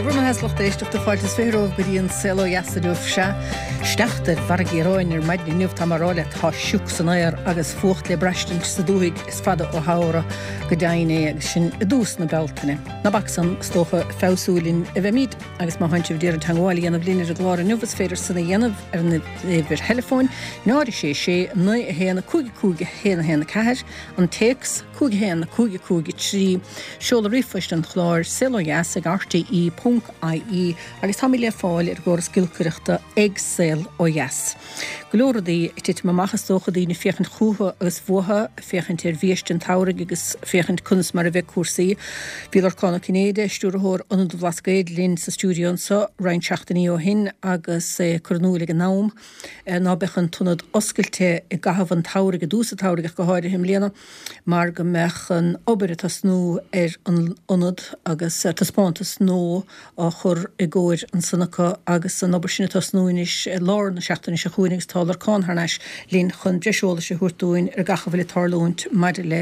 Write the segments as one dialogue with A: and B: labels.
A: Dé bhur mbeatha a lucht éisteachta fáilte is 20 romhaibh go dtí an Saol Ó Dheas inniu. Sea, sneachta ar mhargaí aráin ar maidin inniu, tá mé a rá leat, tá sioc san aer agus fuacht le braistint sa dúthaigh, is fada ó shamhradh go deimhin é agus sinn i dtús na Bealtaine. Ná bac san, is dócha, ag feabhsú linn a bheimid agus má tánn sibh d'iarraidh teagmháil a dhéanamh linn ar an gclár inniu is féidir san a dhéanamh ar an uimhir theileafóin 0 6 6 9 1 5 5 1 1 4, an téacs, 5 1 5 5 3, seoladh ríomhphoist an chláir, saolodheas ag rte ponc ie agus táimid le fáil ar an gcóras giolcaireachta ag Saol Ó Dheas. Go leor rudaí ag titim amach is dócha, daoine ag féachaint chucu agus uathu, ag féachaint ar bhiaiste an tsamhraidh agus féachaint conas mar a bheidh cúrsaí. Bhí Lorcán Ó Cinnéide, Stiúrthóir Ionad an Bhlascaoid linn sa stiúideo anseo roinnt seachtainí ó shin agus é ag cur in iúl ag an am ná beadh an t-ionad oscailte i gcaitheamh an tsamhraidh, i dtús an tsamhraidh ach go háirithe i mbliana, mar go mbeadh an obair ag tosnú ar an ionad agus taispeántas nua á chur i gcomhair ansan acu agus an obair sin ag tosnú anois i lár na seachtaine seo chugainn agus tá Lorcán thar n-ais linn chun breis eolais a thabhairt dúinn ar gach a bhfuil ag tarlúint maidir le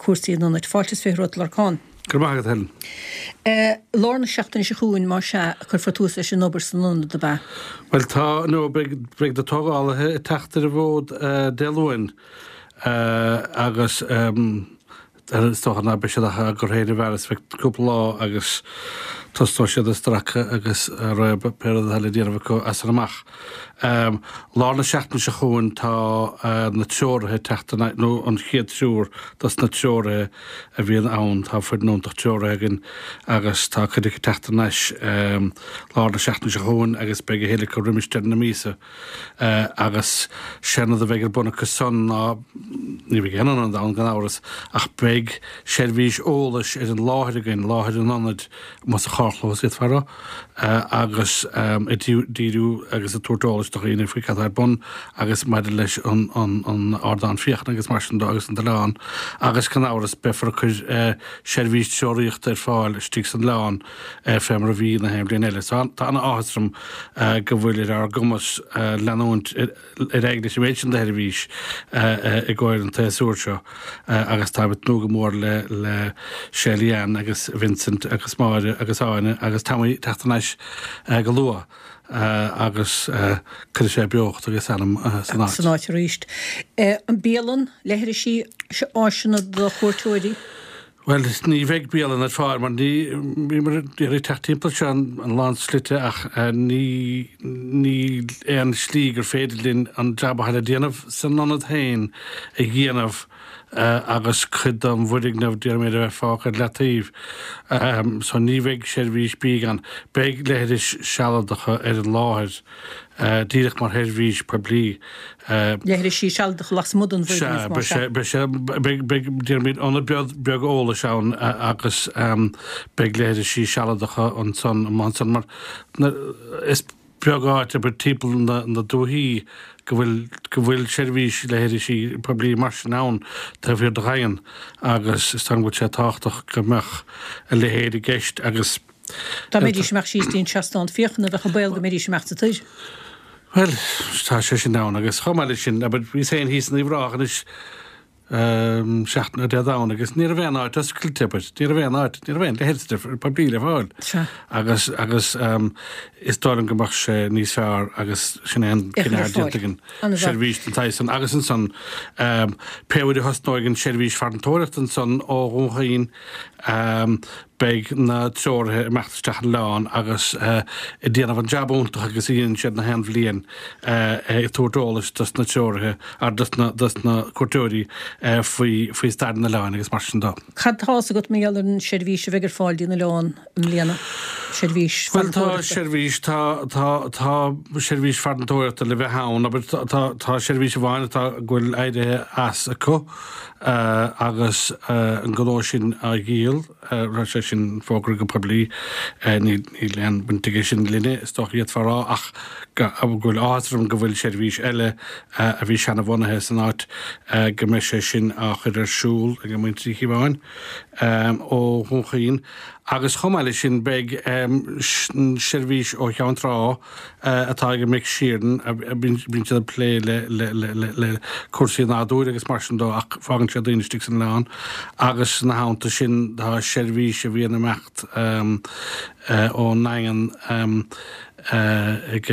A: cúrsaí an ionaid. Fáilte is 20 romhat Lorcán.
B: Go raibh maith agat, Helen.
A: Lár na seachtaine seo chugainn, más ea, a cuirfear tús leis an obair san ionad, ab ea?
B: Bhuel, tá, nó beidh, beidh na tógálaithe ag teacht ar an bhfód Dé Luain agus is dócha ná beidh siad ach á gcur féin i bhfearas feadh cúpla lá agus tosnóidh siad ag stracadh agus ag réabadh pé rud atá le déanamh acu as san amach. Lár na seachtaine seo chugainn tá na treoraithe ag teacht, nó an chéad triúr dos na treoraithe a bhíonn ann. Tá foireann iontach treoraithe againn agus tá cuid acu ag teacht thar n-ais lár na seachtaine seo chugainn agus beidh a thuilleadh acu roimis deireadh na míosa. Agus sé an rud a bheidh ar bun acu san ná, ní bheidh aon ionad ann gan amhras, ach beidh seirbhís eolais ar an láthair againn, láthair an ionaid, amuigh sa charrchlós d'fhéadfá a rá, agus ag díriú agus ag tabhairt eolais do dhaoine faoi cad tá ar bun agus maidir leis an ardán féachana agus mar sin de agus an t-oileán agus gan amhras beifear ag cur seirbhís treoraíochta ar fáil istigh san oileán fé mar a bhí na haon bhliain eile. So tá ana-áthas orm go bhfuil ar ár gcumas leanúint ar aghaidh leis an mhéid sin de sheirbhís i gcomhair an tséasúir seo agus táim ag tnúth go mór le le Shelly Ann agus Vincent agus Máire agus Áine agus Tommy teacht thar n-ais go luath agus cuirfidh sé beocht agus anam san áit.
A: San áit arís. An bialann, leithrisí, áiseanna do chuairteoirí?
B: Bhuel, ní bheidh bialann ar fáil mar ní, bhíomar ag iarraidh teacht timpeall seo an lán slite ach ní, níl aon slí gur féidir linn an jab atá le déanamh san ionad féin a dhéanamh agus cuid den bhfoirgneamh déarfaimid a bheith fágtha ar leataobh. So ní bheidh seirbhís bídh ann. Beidh leithris sealadacha ar an láthair. díreach mar sheirbhís poiblí.
A: Leithrisí sealadacha lasmuigh den bhfoirgneamh,
B: más ea. Beidh sé, beidh, beidh, déarfaimid, ionad beag, beag eolais ann agus beidh leithrisí sealadacha ansan, amuigh ansan mar is beag áit, abair, timpeall na, na dúichí go bhfuil, go bhfuil seirbhís leithrisí poiblí mar sin ann taobh thiar de Dhaingean agus is dóigh liom go bhfuil sé tábhachtach go mbeadh a leithéid i gceist agus.
A: Dá mbeidís ag imeacht síos dtí an seastán féachana, bheadh an baol go mbeidís ag imeacht sa tóir.
B: Bhuel, tá sé sin ann agus chomh maith leis sin, abair, bhíos féin thíos in Uíbh Ráthach anois seachtain ó Dé Domhnaigh agus ní raibh aon áit oscailte, abair, ní raibh aon áit, ní raibh aon leithreas poiblí le fáil.
A: Sea.
B: Agus, agus is dóigh liom go mbeadh sé níos fearr agus sin é an cinneadh atá déanta againn, seirbhís den tsaghas san agus ansan pé uair a thosnóidh an tseirbhís farantóireachta ansan ó Dhún Chaoin, Beidh na treoraithe ag imeacht isteach an oileán agus ag déanamh an jab iontach agus a dhéanann siad na haon bhliain ag tabhairt eolais dos na treoraithe ar dos na dos na cuairteoirí faoi faoi stair an oileáin agus mar sin
A: de. Cad tá fhios agat mar gheall ar an seirbhís a bheidh ar fáil dtí an oileán i mbliana? Seirbhís
B: Bhuel tá farantóireachta. seirbhís tá tá tá seirbhís farantóireachta le bheith ann abair tá tá tá seirbhís amháin atá go bhfuil éirithe as acu Agus an gnó sin á dhíol, raibh sé sin fógartha go poiblí, níl aon bhaint aige sin linne, is dócha d'fhéadfá a rá, ach Go bhfuil áthas orm go bhfuil seirbhís eile a bhí seanabhunaithe san áit, go mbeidh sé sin á chur ar siúl ag muintir Uí Chíobháin ó Dhún Chaoin. Agus chomh maith leis sin beidh seirbhís ó Cheann Trá atá ag Mick Sheeran, bíonn siad ag plé le cúrsaí nádúir agus mar sin dó ach fágann siad daoine istigh san oileán agus ina theannta sin tá seirbhís a bhíonn ag imeacht ón nDaingean ag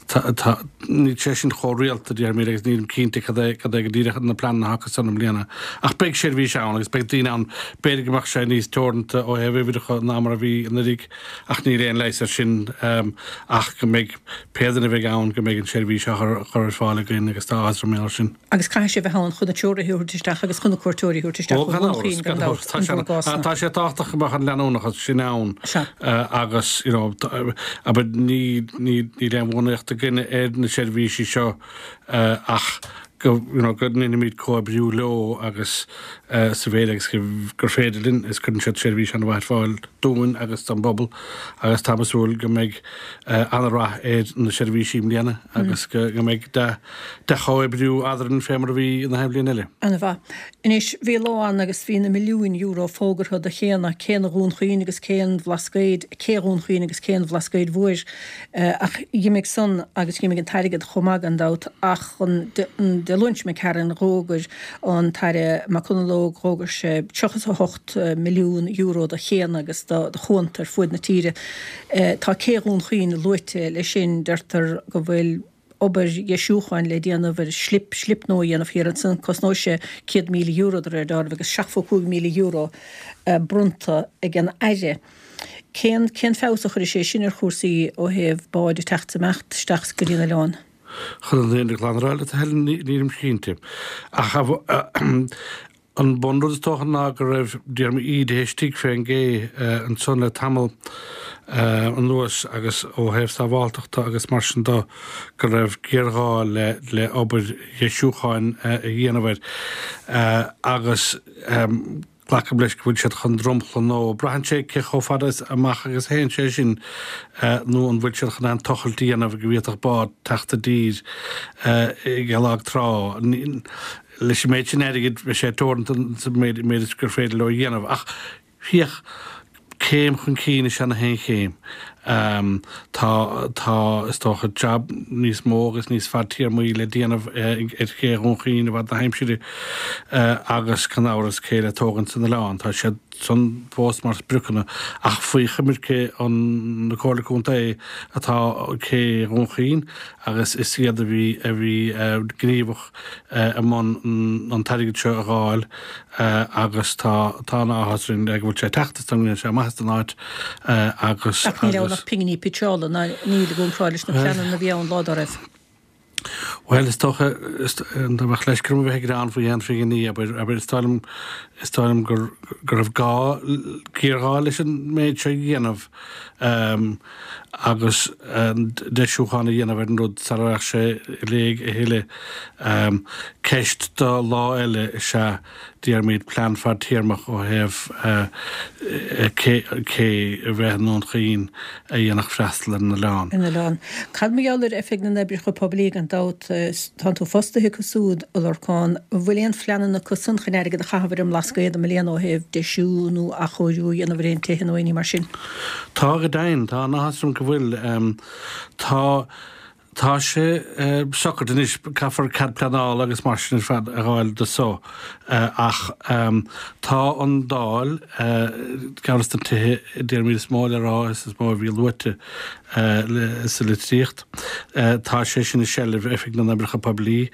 B: tá níl sé sin chomh rialta déarfaimid agus nílim cinnte cad é cad é go díreach na pleananna atá acu san i mbliana. Ach beidh seirbhís ann agus beidh daoine ann, b'fhéidir go mbeadh sé níos teoranta ó thaobh uimhreacha ná mar a bhí anuraidh ach níl aon leigheas air sin ach go mbeidh pé duine a bheidh ann go mbeidh an tseirbhís á chur ar fáil againn agus tá áthas orm air sin.
A: Agus caithfidh sé bheith ann chun na treoraithe a thabhairt isteach agus chun na cuairteoirí a thabhairt isteach
B: ó Dhún Chaoin gan dabht, in bhur gcás-na. Tá sé tábhachtach go mbeadh an leanúnachas sin ann agus you know abair níl níl aon bhunaíocht againne ar na seirbhísí seo ach go you know go ndéanfaimid comhoibriú leo agus sa mhéid agus gur féidir linn is cuireann siad seirbhís an-mhaith ar fáil dúinn agus don bpobal agus táim ag súil go mbeidh an-rath ar na seirbhísí i mbliana agus go mbeidh dea-chomhoibriú eadrainn fé mar a bhí na haon bhliain eile.
A: An-mhaith. Anois, bhí lá ann agus bhí na milliúin euro fógartha do chéanna, céanna Dhún Chaoin agus cé an Bhlascaoid, cé Dhún Chaoin agus cé an Bhlascaoid Mhóir. Ach dh'imigh san agus dh'imigh an t-airgead chomh maith gan dabht ach an Dé Luain seo imigh tharainn dh'fhógair an tAire McConalogue, dh'fhógair sé €38 milliún do chéanna agus do chuanta ar fuaid na tíre. Tá cé Dhún Chaoin luaite leis sin, deirtear go bhfuil obair dheisiúcháin le déanamh ar shlip, slip nua a dhéanamh thiar ansan, cosnóidh sé €100,000 de réir dealraimh agus €75,000 bronnta ag an Aire. Cén, cén feabhas a chuirfidh sé sin ar chúrsaí ó thaobh báid ag teacht is imeacht isteach go dtí an oileán?
B: Chun an fhírinne ghlan a rá leat, a Helen, nílim cinnte. Ach an bunrud is dócha ná go raibh díorma ídithe istigh fén gcé ansan le tamall anuas agus ó thaobh sábháltachta agus mar sin do go raibh géarghá le obair dheisiúcháin a dhéanamh air agus Glacaim leis go bhfuil siad chun dromchla nua. Braitheann sé cé chomh fada amach agus a théann sé sin nó an bhfuil siad chun aon tochailt a dhéanamh go bhféadfadh bád teacht i dtír ag lag trá. Leis an méid sin airgid beidh sé teoranta sa méid is gur féidir leo a dhéanamh. Ach féach, céim chun cinn is ea na haon chéim. Tá, tá, is dócha, jab níos mó agus níos fadtéarmaí le déanamh ar ché Dhún Chaoin i bhfad na haimsire agus gan amhras cé le tógaint san oileán. Tá siad san fós mar spriocanna ach faoi choimirce an na Comhairle Contae atá cé Dhún Chaoin agus is iad a bhí, a bhí gníomhach i mbun an t-airgead seo a dh'fháil. agus tá tá an-áthas orainn go bhfuil sé ag teacht is go ndéanfaidh sé maitheas don áit agus
A: Ach níl ann ach pinginí pitseála, ná níl i gcomparáid leis na pleananna a bhí ann lá dá raibh.
B: Bhuel, is dócha, dá mbeadh leisce orm a bheith ag gearán faoi aon phinginí, abair, abair, is dóigh liom, is dóigh liom gur, go raibh gá, géarghá leis an méid seo a dhéanamh agus deisiúchán a dhéanamh ar an rud sara raghadh sé i léig a thuilleadh. Ceist do lá eile is ea déarfaimid plean fadtéarmach ó thaobh cé a bheith i nDún Chaoin a dhéanfadh freastal ar an
A: oileán. An oileán. Cad mar gheall ar Oifig na nOibreacha Poiblí gan dabht tánn tú fostaithe acu súd, a Lorcáin. An bhfuil aon phleananna acu san chun airgead a chaitheamh ar an mBlascaod i mbliana ó thaobh deisiú nó athchóiriú a dhéanamh ar aon tithe nó aon ní mar sin?
B: Tá go deimhin. Tá an-áthas orm go bhfuil. Tá. Tá sé socraithe anois, caithfear cead pleanála agus mar sin ar fad a dh'fháil do so, ach tá an Dáil, ceann des na tithe déarfaimid is mó le rá is is mó a bhí luaite sa litríocht, tá sé sin i seilbh Oifig na nOibreacha Poiblí.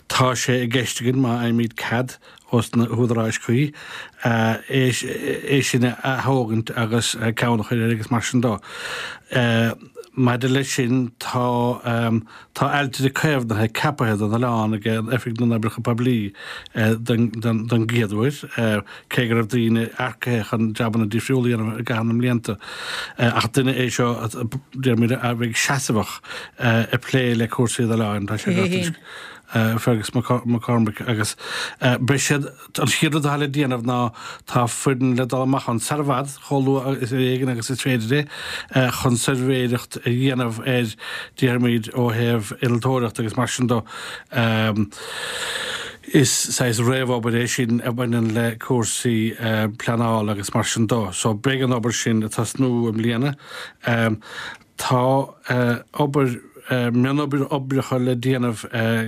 B: Tá sé i gceist againn, má fhaighimid cead ós na húdaráis cuí, é sin a ath-thógaint agus ceann a chur air agus mar sin dó. Maidir leis sin, tá tá ailtire caomhnaithe ceapaithe don oileán ag Oifig na nOibreacha Poiblí don gcéad uair, cé go raibh daoine earcaithe chun jabanna difriúla a dhéanamh i gcaitheamh na mblianta. Ach duine é seo, déarfaimid, a bheidh seasamhach ag plé le cúrsaí an oileáin. Tá sé. Fergus McCormick agus beidh siad, an chéad rud atá le déanamh ná tá foireann le dul amach ann sar i bhfad, chomh luath is ar éigean agus is féidir é, chun suirbhéireacht a dhéanamh ar, déarfaimid, ó thaobh innealtóireacht agus mar sin de. Is saghas réamhobair é sin a bhaineann le cúrsaí pleanála agus mar sin de. So beidh an obair sin ag tosnú i mbliana. Tá obair, mionoibreacha le déanamh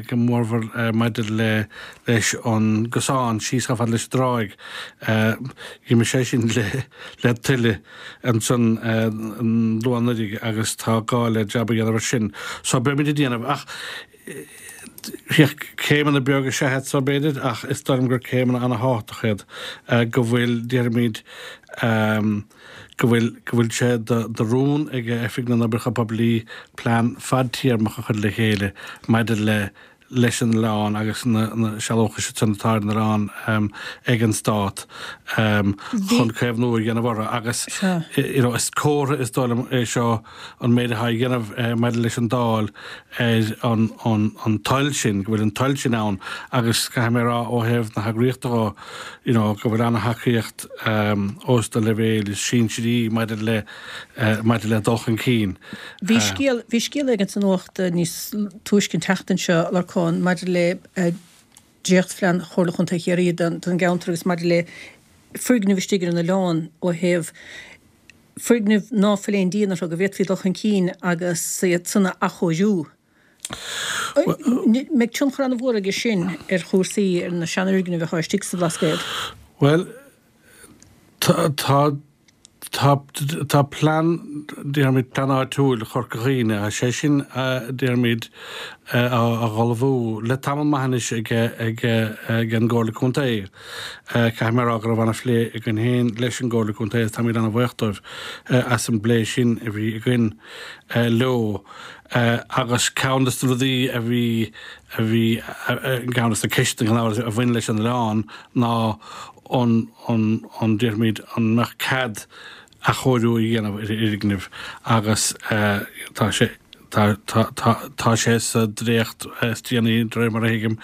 B: go mórmhór maidir le leis an gcosán síos chomh fada leis an dtráigh. D'imigh sé sin le tuile ansan luath anuraidh agus tá gá le jab a dhéanamh ar sin. So beimid ag déanamh ach céimeanna beaga is ea iad so b'fhéidir ach is dóigh liom gur céimeanna ana-thábhachtach iad go bhfuil, déarfaimid, go bhfuil, go bhfuil sé de rún ag Oifig na nOibreacha Poiblí plean fadtéarmach a chur le chéile maidir le leis an oileán agus na sealúchais san atá ar an oileán ag an Stát chun caomhnú a dhéanamh orthu agus you know is comhartha is dóigh liom é seo an méid atá á dhéanamh maidir leis an Dáil ar an an toil sin, go bhfuil an toil sin ann agus caithfidh mé a rá ó thaobh na heagraíochta dhó you know go bhfuil ana-thacaíocht ós na leibhéil is sinsearaí maidir le maidir le dul chun cinn.
A: Bhí scéal bhí scéal éigin sa nuacht níos túisce an tseachtain seo, a Lorcáin, maidir le dréachtphlean Chomhairle Chontae Chiarraí don gceantar agus maidir le foirgnimh istigh ar an oileán ó thaobh foirgnimh ná fuil aon díon orthu go bhféadfaí dul chun cinn agus iad san a athchóiriú. Mbeidh tionchar an-mhór aige sin ar chúrsaí, ar na seanfhoirgnimh atá istigh sa Bhlascaod?
B: Bhuel, tá, tá, tá, tá plean, déarfaimid, plean áitiúil Chorca Dhuibhne, tá sé sin, déarfaimid, á ullmhú le tamall maith anois ag, ag, ag an gComhairle Contae. Caithfidh mé a rá go raibh an-phlé againn féin leis an gComhairle Contae agus táimid an-bhuíoch dóibh as an bplé sin a bhí againn leo. Agus ceann de na rudaí a bhí, a bhí, ceann de na ceisteanna gan amhras a bhain leis an oileán ná an, an, an, déarfaimid, an mbeadh cead athchóiriú a dhéanamh ar fhoirgnimh agus tá sé tá tá tá tá sé sa dréacht is déanaí de réir mar a thuigim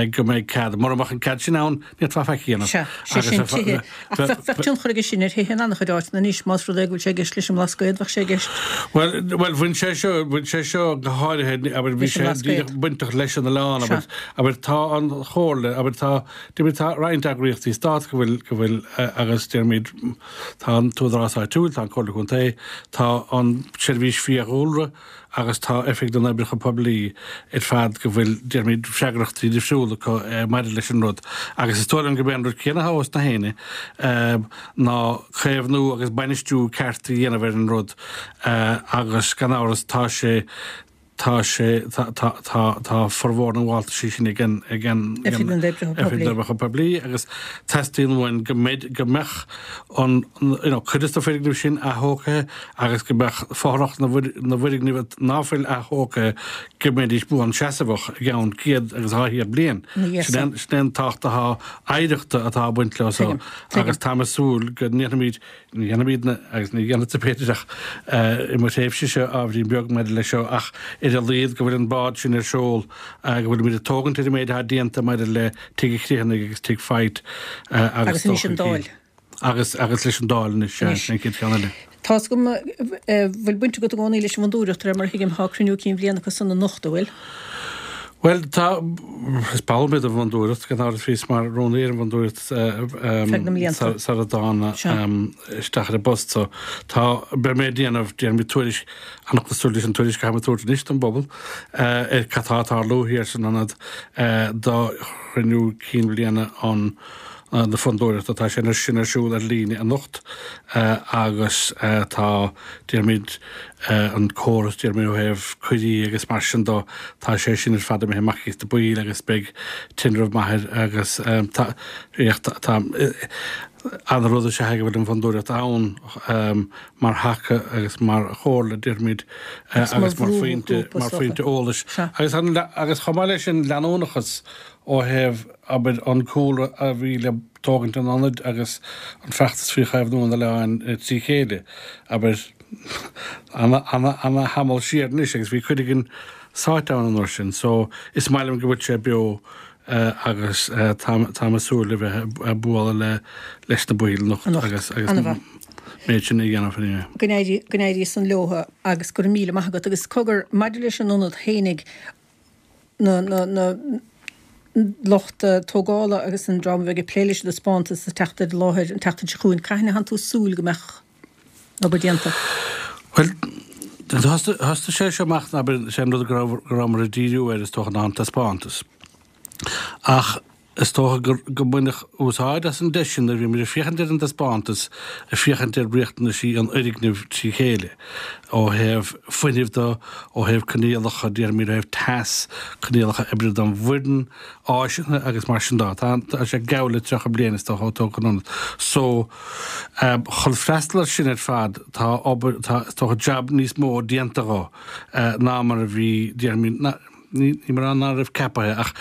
B: go mbeidh cead. Mura mbeadh an cead sin ann ní fhéadfá faic a dhéanamh.
A: Sea, sé sin tithe. Ach bheadh bheadh tionchar aige sin ar thithe in an-chuid áiteanna anois más rud é go bhfuil sé i gceist leis an mBlascaod, bheadh sé i gceist.
B: Bhuel bhuel bhain sé seo bhain sé seo go háirithe abair bhí sé díreach bainteach leis an oileán abair abair tá an chomhairle abair tá déarfaimid tá roinnt eagraíochtaí stáit go bhfuil go bhfuil agus déarfaimid Tá an t-údarás áitiúil, tá an Comhairle Contae, tá an tSeirbhís Fiadhúlra agus tá Oifig na nOibreacha Poiblí ar fad go bhfuil, déarfaimid, freagrachtaí difriúla acu maidir leis an rud. Agus is dóigh liom gurb é an rud céanna atá os na héinne ná caomhnú agus bainistiú ceart a dhéanamh ar an rud agus gan amhras tá sé, Tá sé, tá, tá, tá, tá formhór na ngabháltaisí sin ag an, ag an, ag an Oifig na nOibreacha Poiblí agus teastaíonn uainn go mbeidh, go mbeadh an, you know, cuid de na foirgnimh sin aththógtha agus go mbeadh fothrach na bhfoir, na bhfoirgneamh ná fuil aththógtha go mbeidís buanseasamhach i gceann 100 agus 200 bliain. Sin é, sin é an tábhacht atá oidhreachta atá ag baint leo so agus táim ag súil go ndéanfaimid Ní dhéanfaimidne, agus ní dhéanfadsa b'fhéidir ach i mo thréimhsese ábhairín beag maidir leis seo, ach ar a laghad go bhfuil an bád sin ar seol, go bhfuilimid ag tógaint ar an méid atá déanta maidir le Tigh an Chriomhthanaigh agus Tigh Pheait
A: agus anois an Dáil.
B: Agus agus leis an Dáil anois, sea, sin an chéad cheann eile.
A: Tá's agam go bhfuil baint agat i gcónaí leis an bhFondúireacht, de réir mar a thuigim, tá cruinniú cinn bhliana acu san anocht, an bhfuil?
B: Bhuel, tá, is ball mé den bhFondúireacht, gan amhras, bhíos mar rúnaí ar an bhFondúireacht
A: Feadh na mblianta.
B: sara dtána isteach ar an bpost so. Tá, beidh mé ag déanamh, déanfaidh mé tuairisc, an-chosúil leis an tuairisc a tháim ag tabhairt anois don bpobal, ar cad tá ag tarlú thiar san ionad do chruinniú cinn bhliana an na Fondúireachta. Tá sé sin ar siúl ar líne anocht agus tá, déarfaimid, an córas, déarfaimid, ó thaobh cuirí agus mar sin dó, tá sé sin ar fad imithe amach thíos na baill agus beidh tinreamh maith air agus tá, tá, an-rud is ea é go bhfuil an Fondúireacht ann mar thaca agus mar chomhairle, déarfaimid, agus mar phointe, mar phointe eolais. Agus agus chomh maith leis sin, leanúnachas ó thaobh, abair, an cúlra a bhí le tógaint an ionaid agus an feachtas faoi chaomhnú an oileáin trí chéile, abair, ana-thamall siar anois agus bhí cuid againn. sáite ann an uair sin. So is maith liom go bhfuil sé beo agus táim ag súil le bheith ag bualadh le leis na baill anocht agus agus an méid sin a dhéanamh
A: anyway. Go n-éirí go n-éirí san leo agus go raibh míle maith agat. Agus cogar, maidir leis an ionad fhéinig, na na na lucht tógála agus an dream a bheidh ag plé leis an dtaispeántas ag teacht ar an láthair an tseachtain seo chugainn, cathain a thánn tú ag súil go mbeadh an obair déanta?
B: Bhuel, thosaigh sé seo amach, abair, sé an rud go raibh, go rabhamar ag díriú air is dócha ná an taispeántas. Ach is dócha gur, go mbaineadh úsáid as an deis sin nuair a bhí muid ag féachaint ar an dtaispeántas, ag féachaint ar riachtanaisí an fhoirgnimh trí chéile, ó thaobh fuinnimh de, ó thaobh coinníollacha, déarfaimid, ó thaobh teas, coinníollacha oibre don bhfoireann, áiseanna agus mar sin de. Tá, tá sé geall le 30 bliain is dócha ó tógadh an ionad. So, chun freastal ar sin ar fad, tá obair, tá, is dócha jab níos mó déanta dhó ná mar a bhí, déarfaimid, ná, Ní mar ná raibh ceapaithe ach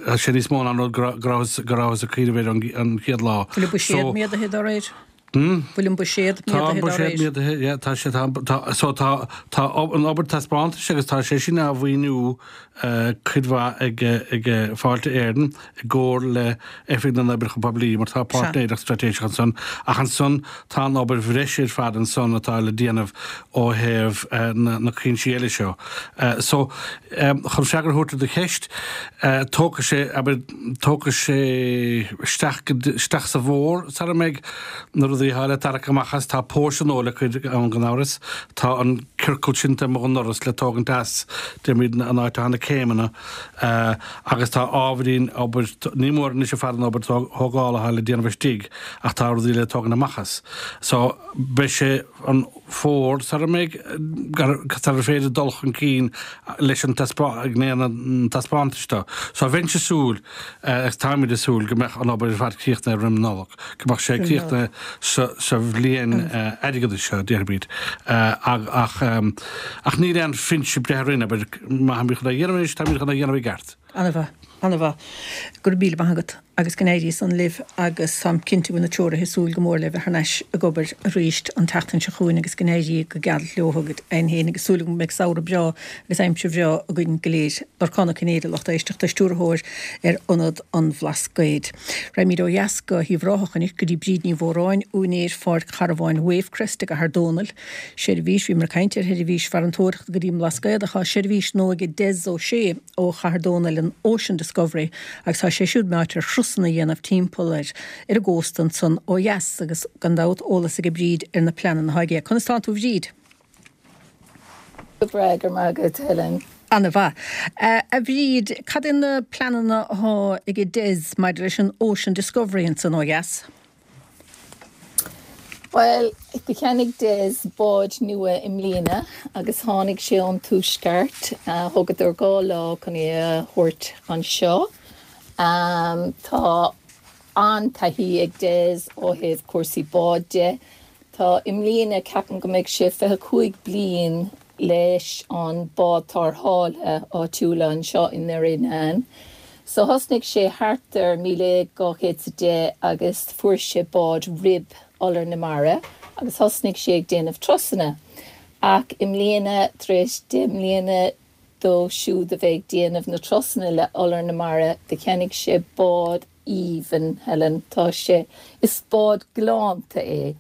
B: tá sé níos mó ná an rud go rabhthas go rabhthas ag cuimhneamh air an chéad lá.
A: Bhfuil an buiséad méadaithe dá réir? Bhfuil an buiséad
B: méadaithe dá réir? Tá an buiséad méadaithe, yeah, tá sé, tá, tá, so tá, tá an obair taispeántais agus tá sé sin á mhaoiniú cuid mhaith ag, ag Fáilte Éireann i gcomhar le Oifig na nOibreacha Poiblí mar tá páirtnéireacht straitéiseach ansan ach ansan tá an obair bhreise ar fad ansan atá le déanamh ó thaobh na cuinsí eile seo. So, chun freagra a thabhairt ar do cheist, tógfaidh sé, abair, tógfaidh sé isteach go, isteach sa bhfómhar sara mbeidh na rudaí atá le tarrac amach as, tá póirsean dhó le cur ann gan amhras, tá an ciorcal sin taobh amuigh den ndoras le tógaint as, déarfaimid, an áit atá na céimeanna, agus tá ábhairín obair, ní mór anois ar fad an obair thógála atá le déanamh istigh ach tá rudaí le tógaint amach as. So, beidh sé an fómhar sara mbeidh, sara féidir dul chun cinn leis an gné an taispeántais do. So bheinnse ag súil, agus táimid ag súil, go mbeadh an obair ar fad críochnaithe roim an Nollaig, go mbeadh sé críochnaithe sa bhliain airgeadais seo, déarfaimid. Ach ach níl aon phinse breithe orainn, abair, má táimid chun é a dhéanamh anois, táimid chun é a dhéanamh i gceart.
A: Ana-mhaith. Ana-mhaith. Go raibh míle maith agat agus go n-éirí san libh agus táim cinnte go bhfuil na treoraithe ag súil go mór le bheith thar n-ais ag obair arís an tseachtain seo chugainn agus go n-éirí go geal leo go deimhin féin agus súil agam go mbeidh samhradh breá agus aimsir bhreá againn go léir. Lorcán Ó Cinnéide, lucht éisteachta, stiúrthóir ar Ionad an Bhlascaoid. Raghaimid ó dheas go hUíbh Ráthach anois go dtí Bríd Ní Mhóráin, úinéir Pháirc Charbháin Wavecrest i gCathair Dónall. Seirbhís, Bhíomar ag caint ar sheirbhís farantóireachta go dtí an mBlascaod ach tá seirbhís nua ag Des Ó Sé ó Chathair Dónaill, an Ocean Discovery, agus tá sé siúd meáite ar thurasanna a dhéanamh timpeall ar ar an gcósta ansan ó dheas agus gan dabht eolas aige Bríd ar na pleananna atá aige. Conas tánn tú a Bhríd?
C: Go breá, go raibh maith agat Helen.
A: Ana-mhaith. A Bhríd, cad é na pleananna atá aige Des maidir leis an Ocean Discovery ansan ó dheas?
C: Bhuel, do cheannaigh Des bád nua i mbliana agus tháinig sé ón Tuaisceart. Thógadar 2 lá chun é a thabhairt anseo. Tá an-taithí ag Des ó thaobh cúrsaí bád de. Tá, i mbliana, ceapaim go mbeidh sé 25 bliain leis an bád tarrthála áitiúla anseo i nDoire Fhíonáin. So thosnaigh sé thart ar 1210 agus fuair sé bád rib Iolar na Mara agus thosnaigh sé ag déanamh turasanna. Ach i mbliana, tar éis 10 mbliana dó siúd a bheith ag déanamh na turasanna le Iolar na Mara, do cheannaigh sé bád aoibhinn, Helen. Tá sé, is bád galánta é.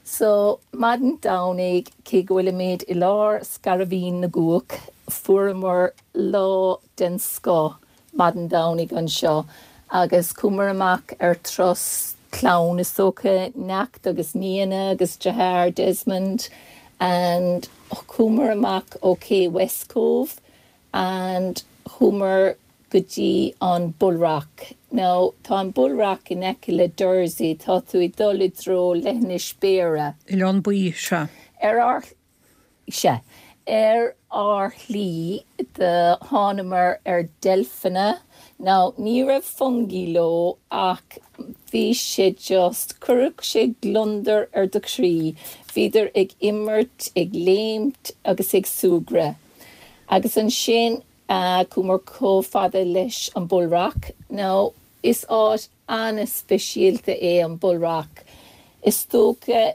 C: So, maidin Domhnaigh, cé go bhfuilimid i lár Scairbhín na gCuach, fuaireamar lá den scoth maidin Domhnaigh anseo agus chuamar amach ar turas clann, is dócha, neacht agus nianna agus deartháir Desmond and chuamar amach ó Cé West Cove and chuamar go dtí an Bull Rock. Now, tá an Bull Rock in aice le Dursey, tá tú ag dul i dtreo Leithinis Béarra.
A: Oileán Buí, sea.
C: Ar ár, sea. Ar ár shlí do thánamar ar deilfeanna. Now, ní raibh fungie leo ach bhí sé just, chuirfeadh sé gliondar ar do chroí. Bhíodar ag imirt, ag léimt agus ag súgradh. Agus ansin chuamar chomh fada leis an Bull Rock. Now, is áit an-speisialta é an Bull Rock. Is dócha.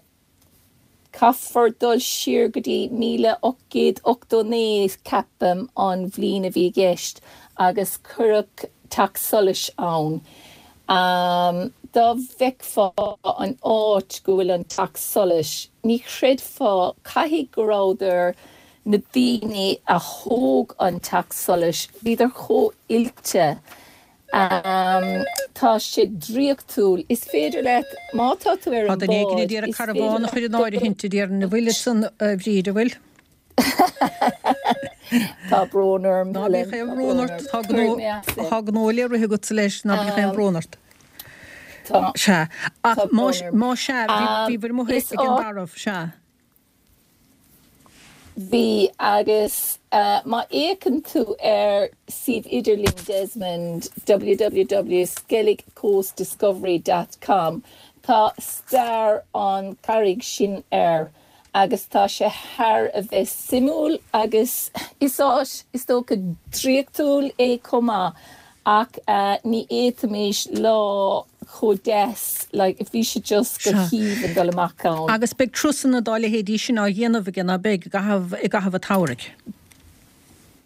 C: Caithfear dul siar go dtí 1889, ceapaim, an bhliain a bhí i gceist, agus cuireadh teach solais ann. Dá bhfeicfeá an áit go bhfuil an teach solais, ní chreidfeá, caithfidh go rabhadar, na daoine a thóg an teach solais, bhíodar chomh oilte. Tá sé draíochtúil. Is féidir leat, má tá tú ar
A: Tá
C: an
A: duine éigin
C: bhád,
A: ag iarraidh
C: is féidir
A: carbhán a
C: leat
A: chur in áirithint, a déarfainn, an bhfuil ansan, a Bhríd, an bhfuil?
C: Tá brón orm,
A: Ná bíodh
C: Helen,
A: aon
C: tá
A: bhrón
C: brón
A: ort,
C: orm.
A: tá gnó,
C: Cuirfidh mé as é.
A: tá gnó le rith agatsa leis, ná bíodh aon bhrón ort.
C: Tá,
A: Sea, ach
C: tá
A: má,
C: brón orm.
A: má sea, bhí, bhíobhair amuigh
C: Is
A: ag an
C: áit.
A: dtarbh, sea.
C: Bhí, agus má fhéachann tú ar suíomh idirlín Desmond, www skelligcoastdiscovery dot com, tá stair an charraig sin air agus tá sé thar a bheith suimiúil agus is áit, is dócha, draíochtúil é chomh maith. Ach ní fhéadfaimis lá chomh deas, like, bhí sé just go
A: Sea.
C: haoibhinn dul amach ann.
A: Agus beidh turasanna dá leithéidí sin á dhéanamh aige, ná beidh, i gcaitheamh, i gcaitheamh an tsamhraidh?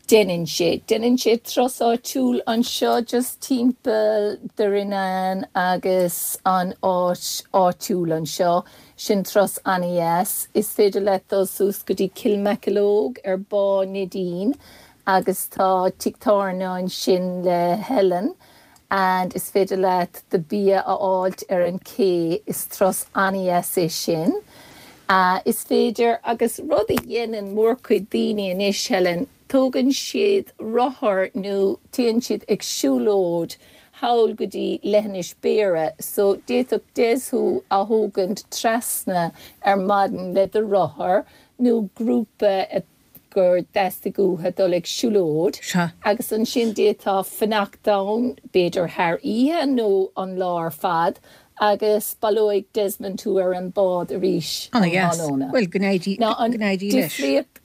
C: Déanann sé. Déanann sé turas áitiúil anseo just timpeall Derrynane agus an áit áitiúil anseo. Sin turas an-dheas. Is féidir leat dul suas go dtí Kilmakilloge ar Bá Neidín Agus tá tigh tábhairne ansin le Helen and is féidir leat do bia a fháilt ar an cé, is turas an-dheas é sin. Is féidir, agus rud a dhéanann mórchuid daoine anois, Helen, tógann siad rothar nó téann siad ag siúlóid thall go dtí Leithinis Béarra, so d'fhéadfadh Des thú a thógaint trasna ar maidin le do rothar nó grúpa a gur theastaigh uathu dul ag siúlóid
A: Sea.
C: agus ansin d'fhéadfá fanacht ann, b'fhéidir thar oíche nó an lá ar fad agus baileoidh Desmond thú ar an bád arís um
A: Ana-dheas.
C: thráthnóna.
A: Bhuel, go n-éirí,
C: Now
A: go
C: an
A: n-éirí leis.
C: difríocht,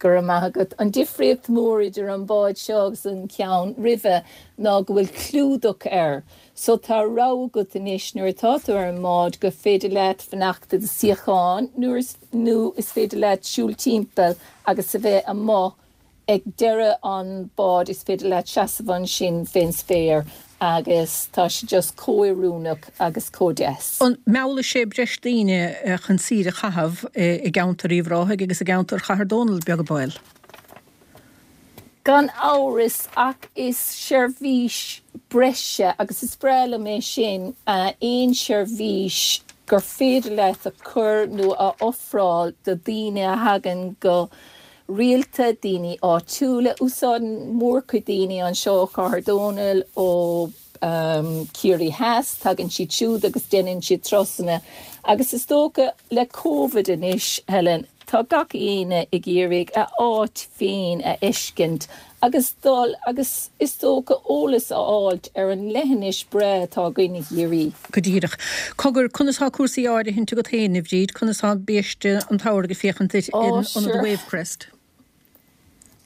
C: go raibh maith agat, an difríocht mhór idir an bád seo agus an ceann roimhe ná go bhfuil clúdach air. So tá rogha agat anois nuair atá tú ar an mbád gur féidir leat fanacht i do suíochán nuair is nó is féidir leat siúl timpeall agus a bheith amuigh ag deireadh an báid is féidir leat seasamh ansin fén spéir agus tá sé just chomh oiriúnach agus chomh deas.
A: An meallfaidh sé breis daoine chun saoire a chaitheamh i gceantar Uíbh Ráthaigh agus i gceantar Chathair Dónall, beag an baol?
C: Gan amhras, ach is seirbhís breise, agus is breá liom é sin, aon seirbhís gur féidir leat a chur nó a ofráil do dhaoine a thagann go rialta, daoine áitiúla. Úsáideann mórchuid daoine anseo ó Chathair Dónall, ó Ciarraí Theas, tagann siad siúd agus déanann siad turasanna agus is dócha le Covid anois, Helen, tá gach éinne ag iarraidh a áit féin a fheiscint agus dul agus is dócha eolas a fháilt ar an leithinis breá atá againn i gCiarraí.
A: Go díreach. Cogar, conas tá cúrsaí áirithinte agat féin, a Bhríd? Conas tá biaiste an tsamhraidh ag féachaint duit in ionad Wavecrest?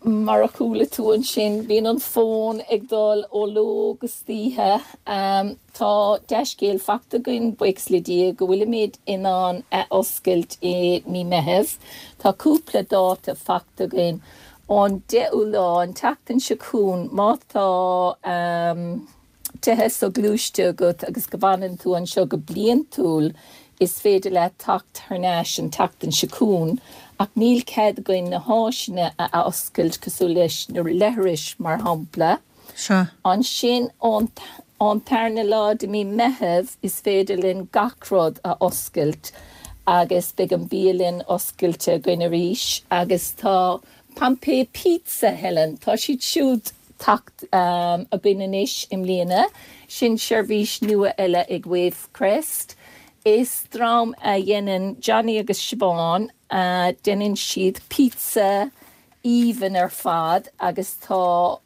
C: Mar a chuala tú ansin, bíonn an fón ag dul ó ló go hoíche. Tá dea-scéal faighte againn, buíochas le Dia, go bhfuilimid in ann a oscailt i mí Meitheamh. Tá cúpla dáta faighte againn. Ón 10ú lá, an tseachtain seo chugainn, má tá. tithe soghluaiste agat agus go bhfanann tú anseo go bliantúil, is féidir leat teacht thar n-ais an tseachtain seo chugainn, ach níl cead againn na háiseanna a oscailt cosúil leis na leithris mar shampla.
A: Sea.
C: Ansin ón ón tarna lá de mí Meitheamh is féidir linn gach rud a oscailt agus beidh an bialann oscailte againn arís agus tá Pompeii Pizza, Helen, tá siad siúd teacht againn anois i mbliana. Sin seirbhís nua eile ag Wavecrest. Is dream a dhéanann Johnny agus Siobhán, déanann siad pizza aoibhinn ar fad agus tá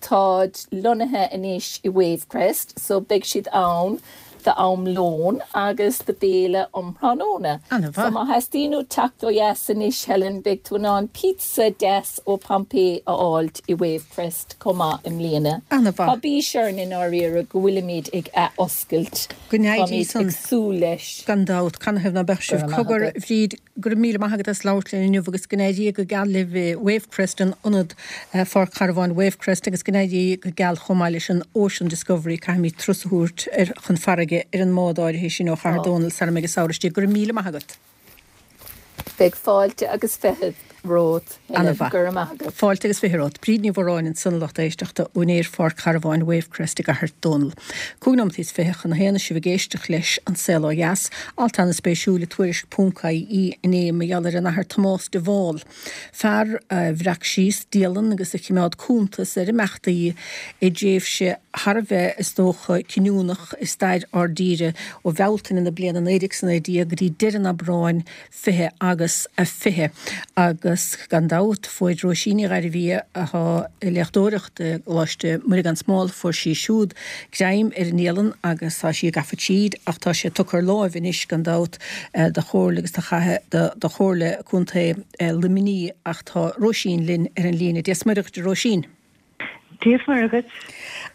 C: táid lonnaithe anois i Wavecrest so beidh siad ann. D'am lóin agus do bhéile um thráthnóna.
A: Ana-mhaith.
C: So má theastaíonn uait teacht ó dheas anois, Helen, beidh tú in ann pizza deas ó Pompeii a fháilt i Wavecrest chomh maith i mbliana.
A: Ana-mhaith.
C: Tá bís orainn i ndáiríre go bhfuilimid ag ath-oscailt.
A: Go n-éirí
C: Táimid
A: san.
C: ag súil leis.
A: Gan dabht. Canathaobh ná beadh
C: Go
A: sibh.
C: raibh maith
A: Cogar,
C: agat.
A: a Bhríd, Go raibh míle maith agat as labhairt linn inniu agus go n-éirí go geal libh i Wavecrest, an ionad Pháirc Charbháin Wavecrest agus go n-éirí go geal chomh maith leis an Ocean Discovery, caithfimid turas a thabhairt ar chun farraige ar an mbád áirithe sin ó Chathair Dónall sara mbeidh an samhradh istigh. Go raibh míle maith agat.
C: Beidh fáilte agus fichead romhat, Helen.
A: Ana-mhaith.
C: Go raibh maith agat.
A: Fáilte agus 20 romhat. Bríd Ní Mhóráin ansan a lucht éisteachta, úinéir Pháirc Charbháin Wavecrest i gCathair Dónall. 25 nóimeataí chun a haon is sibh ag éisteacht leis An Saol Ó Dheas. Alt ana-spéisiúil i Tuairisc ponc ie inné mar gheall ar an Athair Tomás de Bhál, fear a bhreac síos dialann agus a chimeád cuntas ar imeachtaí i dtréimhse thar a bheith, is dócha, cinniúnach i stair ár dtíre, ó Bhealtaine na bliana 1919 go dtí deireadh an Aibreáin 20 agus a 20. Agus gan dabht, fuair Róisín Ní Ghairbhia, atá ag léachtóireacht i gColáiste Muire Gan Smál, fuair sí siúd greim ar an ndialann agus tá sí gafa tríd ach tá sé tugtha ar láimh anois gan dabht do Chomhairle agus do Chathair do Chomhairle Contae Luimnigh ach tá Róisín linn ar an líne. Dia 's Muire dhuit a Róisín.
D: Dia 's Muire dhuit.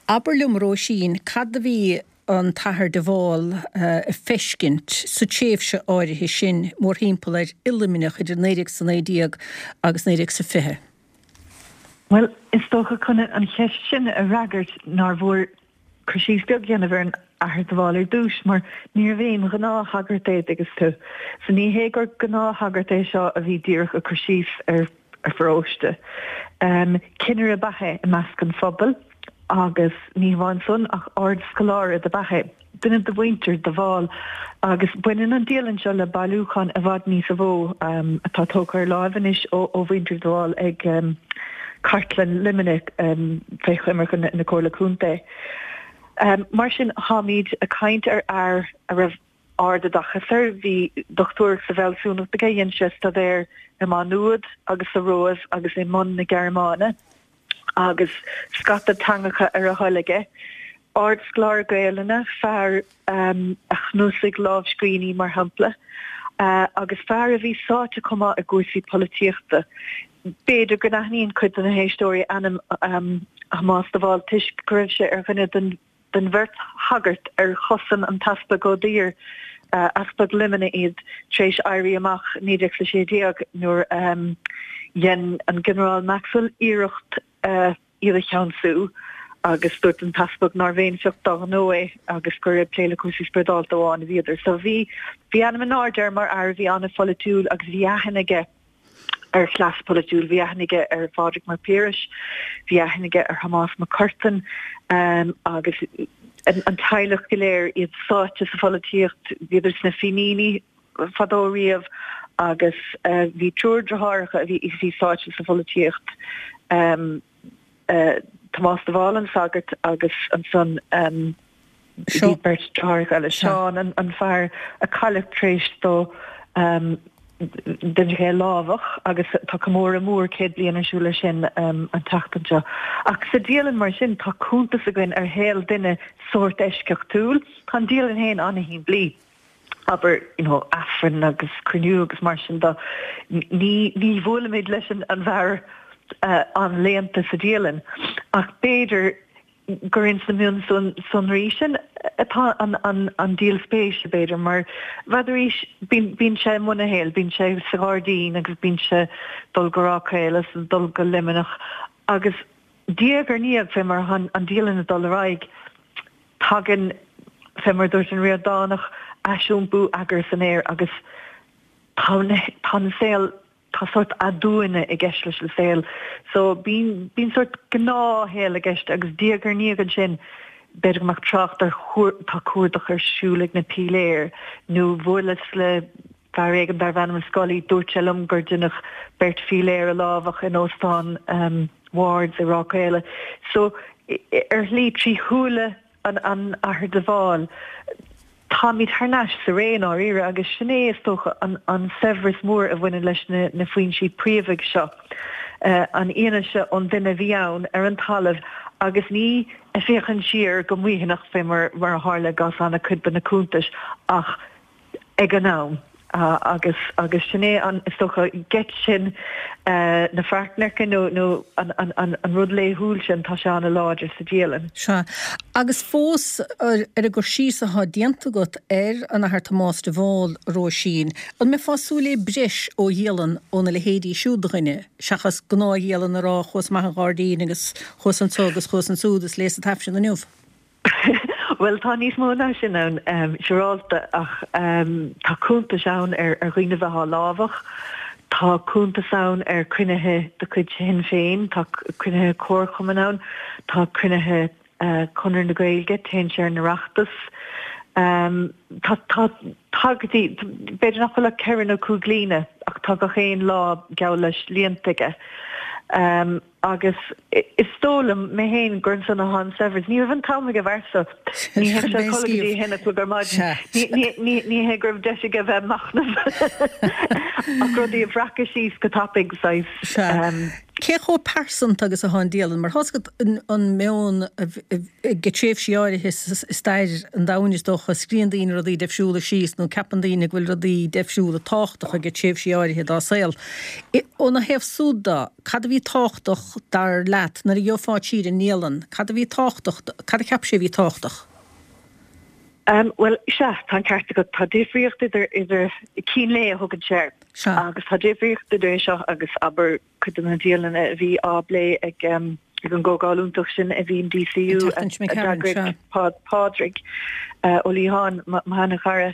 A: Abair liom a Róisín, cad a bhí an tAthair de Bhál a feiscint sa tréimhse áirithe sin mórthimpeall air i Luimneach idir 1919 agus 1920?
D: Bhuel, is dócha chun an cheist sin a fhreagairt nár mhór cur síos beag a dhéanamh ar an Athair de Bhál ar dtús, mar níorbh aon ghnáthshagart é, an dtuigeann tú. So ní hé gur gnáthshagart é seo a bhí díreach ag cur síos ar pharóiste. Cinnire ab ea é i measc an phobail agus ní hamháin san ach ard-scoláire dob ea é. Duine de mhuintir de Bhál agus baineann an dialann seo le bailiúchán i bhfad níosa mhó atá tógtha ar láimh anois ó mhuintir de Bhál ag Cartlann Luimnigh fé choimirce na Comhairle Contae. Mar sin táimid ag caint ar fhear a raibh ardoideachas air, bhí dochtúireacht sa bhfealsúnacht aige, dhein sé staidéar i Má Nuad agus sa Róimh agus i mBonn na Gearmáine agus scata teangacha ar a thoil aige. Ardscoláire Gaelainne, fear a chnuasaigh lámhscríbhinní mar shampla, agus fear a bhí sáite chomh maith i gcúrsaí polaitíochta. B'fhéidir go n-aithníonn cuid de na héisteoirí ainm Thomás de Bhál toisc go raibh sé ar dhuine den den bheirt shagart ar chosain an tEaspag Ó Duibhir, Easpag Luimnigh iad tar éis Éirí Amach 1916 nuair a dhein an Ginearál Maxwell iarracht iad a cheansú agus dúirt an tEaspag nárbh aon phioc dá ghnó é agus gur ag plé le cúrsaí spioradálta amháin a bhíodar. So bhí bhí ainm in airde air mar fhear a bhí an-pholaitiúil agus bhí aithne aige ar chleas polaitiúil. Bhí aithne aige ar Phádraig Mac Piarais, bhí aithne aige ar Thomás Mac Curtain agus an teaghlach go léir, iad sáite sa pholaitíocht, bhíodar sna Fíníní fadó riamh agus bhí triúr deartháireacha a bhí sáite sa pholaitíocht, Tomás de Bhál an sagart agus ansan bhí beirt deartháireacha eile, Seán an fear a cailleadh tar éis dó deineadh é a lámhach agus tá comóradh mór 100 bliain ar siúl air sin an tseachtain seo. Ach sa dialann mar sin tá cuntas againn ar shaol duine sórt eisceachtúil. Tá an dialann féin an-shimplí. abair, you know, Aifreann agus cruinniú agus mar sin de. Ní, ní bhuailimid leis an, an bhfear an-léannta sa dialann ach b'fhéidir gur ins na mionsonraí sin atá an, an, an díol spéise, b'fhéidir, mar b'fhéidir arís, bíonn, bíonn sé i mbun a shaoil, bíonn sé sa ghairdín agus bíonn sé dul go Ráth Caola is dul go Luimneach agus diaidh ar ndiaidh, fé mar atá an dialann ag dul ar aghaidh, Tagann, fé mar a dúirt an Ríordánach, aisiompú eagair san aer agus tá tá an saol, tá sórt aduaine i gceist leis an saol. So bíonn, bíonn sórt gnáthshaol i gceist agus diaidh ar ndiaidh ansin b'fhéidir go mbeadh trácht ar tá cuardach ar siúl ag na píléir nó bhuaileas le fear éigin darbh ainm Scully, dúirt sé liom gur deineadh beirt phíléir a lámhach in óstán Wards i Ráth Caola. So, ar shlí, trí shúile an Athar de Bhál, táimid thar n-ais sa ré, i ndáiríre, agus sin é, is dócha, an saibhreas mór a bhaineann leis na foinsí príomhaidh seo. an fhianaise ón duine a bhí ann ar an talamh agus ní ag féachaint siar go maoithneach fé mar a tharla i gcás an-chuid de na cuntais ach ag an am. Agus agus sin é an, is dócha, geit sin na fearcneirce nó nó an an an rud laethúil sin, tá sé an-láidir sa dialann.
A: Sea. Agus fós, ar an gcur síos atá déanta agat ar an Athair Tomás de Bhál, a Róisín, an mbeifeá ag súil le breis ó dhialann óna leithéidí siúd de dhuine, seachas gnáthdhialann ag rá chuas amach an ghairdín agus chuas anso agus chuas ansúd is léas an tAifreann inniu?
D: Bhuel, tá níos mó ná sin ann, siúrálta, ach tá cuntais ann ar dhaoine a bheith á lámhach, tá cuntas ann ar chruinnithe de chuid Shinn Féin, tá cruinnithe comharchumainn ann, tá cruinnithe Chonradh na Gaeilge, téann sé ar an Oireachtas. Tá tagairtí, b'fhéidir nach bhfuil ach ceithre nó cúig líne, ach tá gach aon lá geall leis líonta aige. Agus is dóigh liom, mé féin, gur ansan atá an saibhreas. Ní raibh an t-am ag an bhfear so. Ní théadh sé a chodladh go dtí a haon a chlog ar maidin. Ní hé go raibh deis aige bheith ag machnamh ach rudaí a bhreacadh síos go tapaidh, saghas.
A: Sea. Cé chomh pearsanta agus atá an dialann? Mar tá's agat an meon ag tréimhsí áirithe i stair an domhain, is dócha, scríobhann daoine rudaí deifriúla síos nó ceapann daoine go bhfuil rudaí deifriúla tábhachtach ag tréimhsí áirithe dá saol. Óna thaobh súd de, Cad a bhí tábhachtach, dar leat, nuair a gheofá siar an ndialann? Cad a bhí tábhachtach, cad a cheap sé a bhí tábhachtach?
D: Bhuel, sea, tá an ceart agat. Tá difríocht idir, idir, cín lae a thugann sé air.
A: Sea.
D: Agus tá difríocht idir é seo agus, abair, cuid de na dialanna a bhí á bplé ag, ag an gcomhdháil iontach sin a bhí in DCU
A: a
D: d'eagraigh Pádraig Ó Liatháin, mo sheana-chara.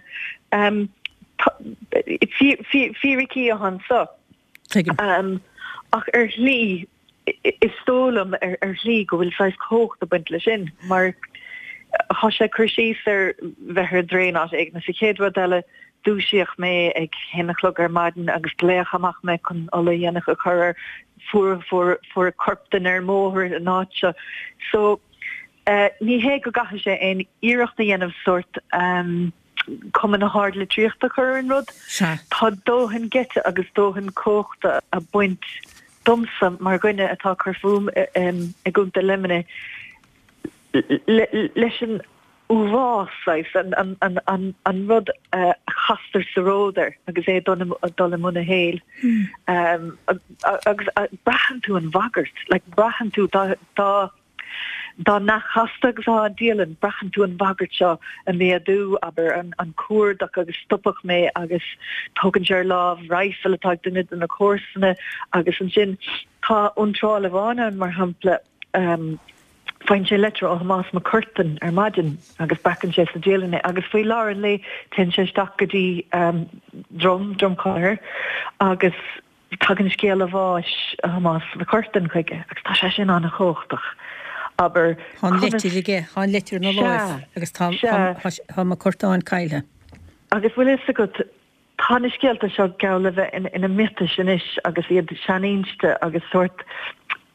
D: Fíricí atá anso.
A: Tuigim.
D: Ach ar shlí, is dóigh liom ar shlí go bhfuil saghas cumhacht ag baint leis sin, mar tá sé ag cur síos ar bheith ar an dtraein áit éigin agus an chéad rud eile, dúisíodh mé ag haon a chlog ar maidin agus glaodh amach mé chun ola dhéanach a chur air, fuair, fuair, fuair corp duine ar an mbóthar an áit seo. So, ní hé go gcaithfidh sé aon iarracht a dhéanamh sórt, cuma na hardlitríochta a chur ar an rud.
A: Sea.
D: Tá dóthain geite agus dóthain cumhachta ag baint domsa mar dhuine atá ag cur fúm i gContae Luimnigh leis an uafás, saghas, an rud a chastar sa ród air agus é ag dul i mbun a shaoil. Agus braitheann tú an bhagairt, like braitheann tú dá Dá neamhchasta agus atá an dialann, braitheann tú an bhagairt seo ag méadú, abair, an cuardach agus stopadh mé agus tógann sé ar láimh raidhfil atá ag duine de na comharsana agus ansin tá iontráil amháin ann, mar shampla, faigheann sé leitir ó Thomás Mac Curtain ar maidin agus breacann sé sa dialann é agus faoi lár an lae téann sé isteach go dtí Drom, Droim Conaithear agus Tagann scéala bháis Thomás Mhic Curtain chuige agus tá sé sin an-chumhachtach. Abair,
A: Tá an leitir aige, tá an leitir ina láimh agus tá tá Mac Curtáin caillthe.
D: Agus bhfuil fhios agat, tá na scéalta seo geall le bheith ina miotais anois agus iad sean-inste agus sórt,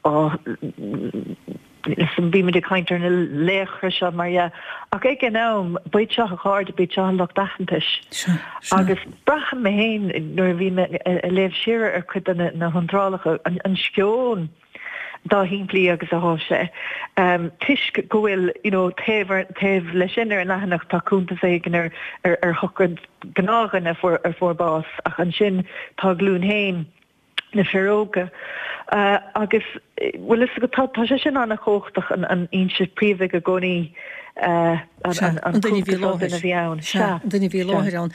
D: Ó, bímid ag caint ar na laochra seo, mar dhea, ach ag an am, ba iad seo a chairde, ba iad seo a lucht aitheantais. Agus braithim mé féin, nuair a bhí mé ag léamh siar ar chuid de na hiontrálacha, an sceon dá shimplí agus atá sé, toisc go bhfuil, you know, taobh ar, taobh leis sin ar an leathanach tá cuntas éigin ar, ar shochraid gnáthdhuine a fuair, a fuair bás, ach ansin tá a ghlúin féin. na fir óga. Agus bhfuil fhios agat, tá sé sin an-chumhachtach, an fhoinse phríomha i gcónaí,
A: an duine a bhí i láthair.
D: a bhí ann.
A: Sea, an duine a bhí i láthair ann.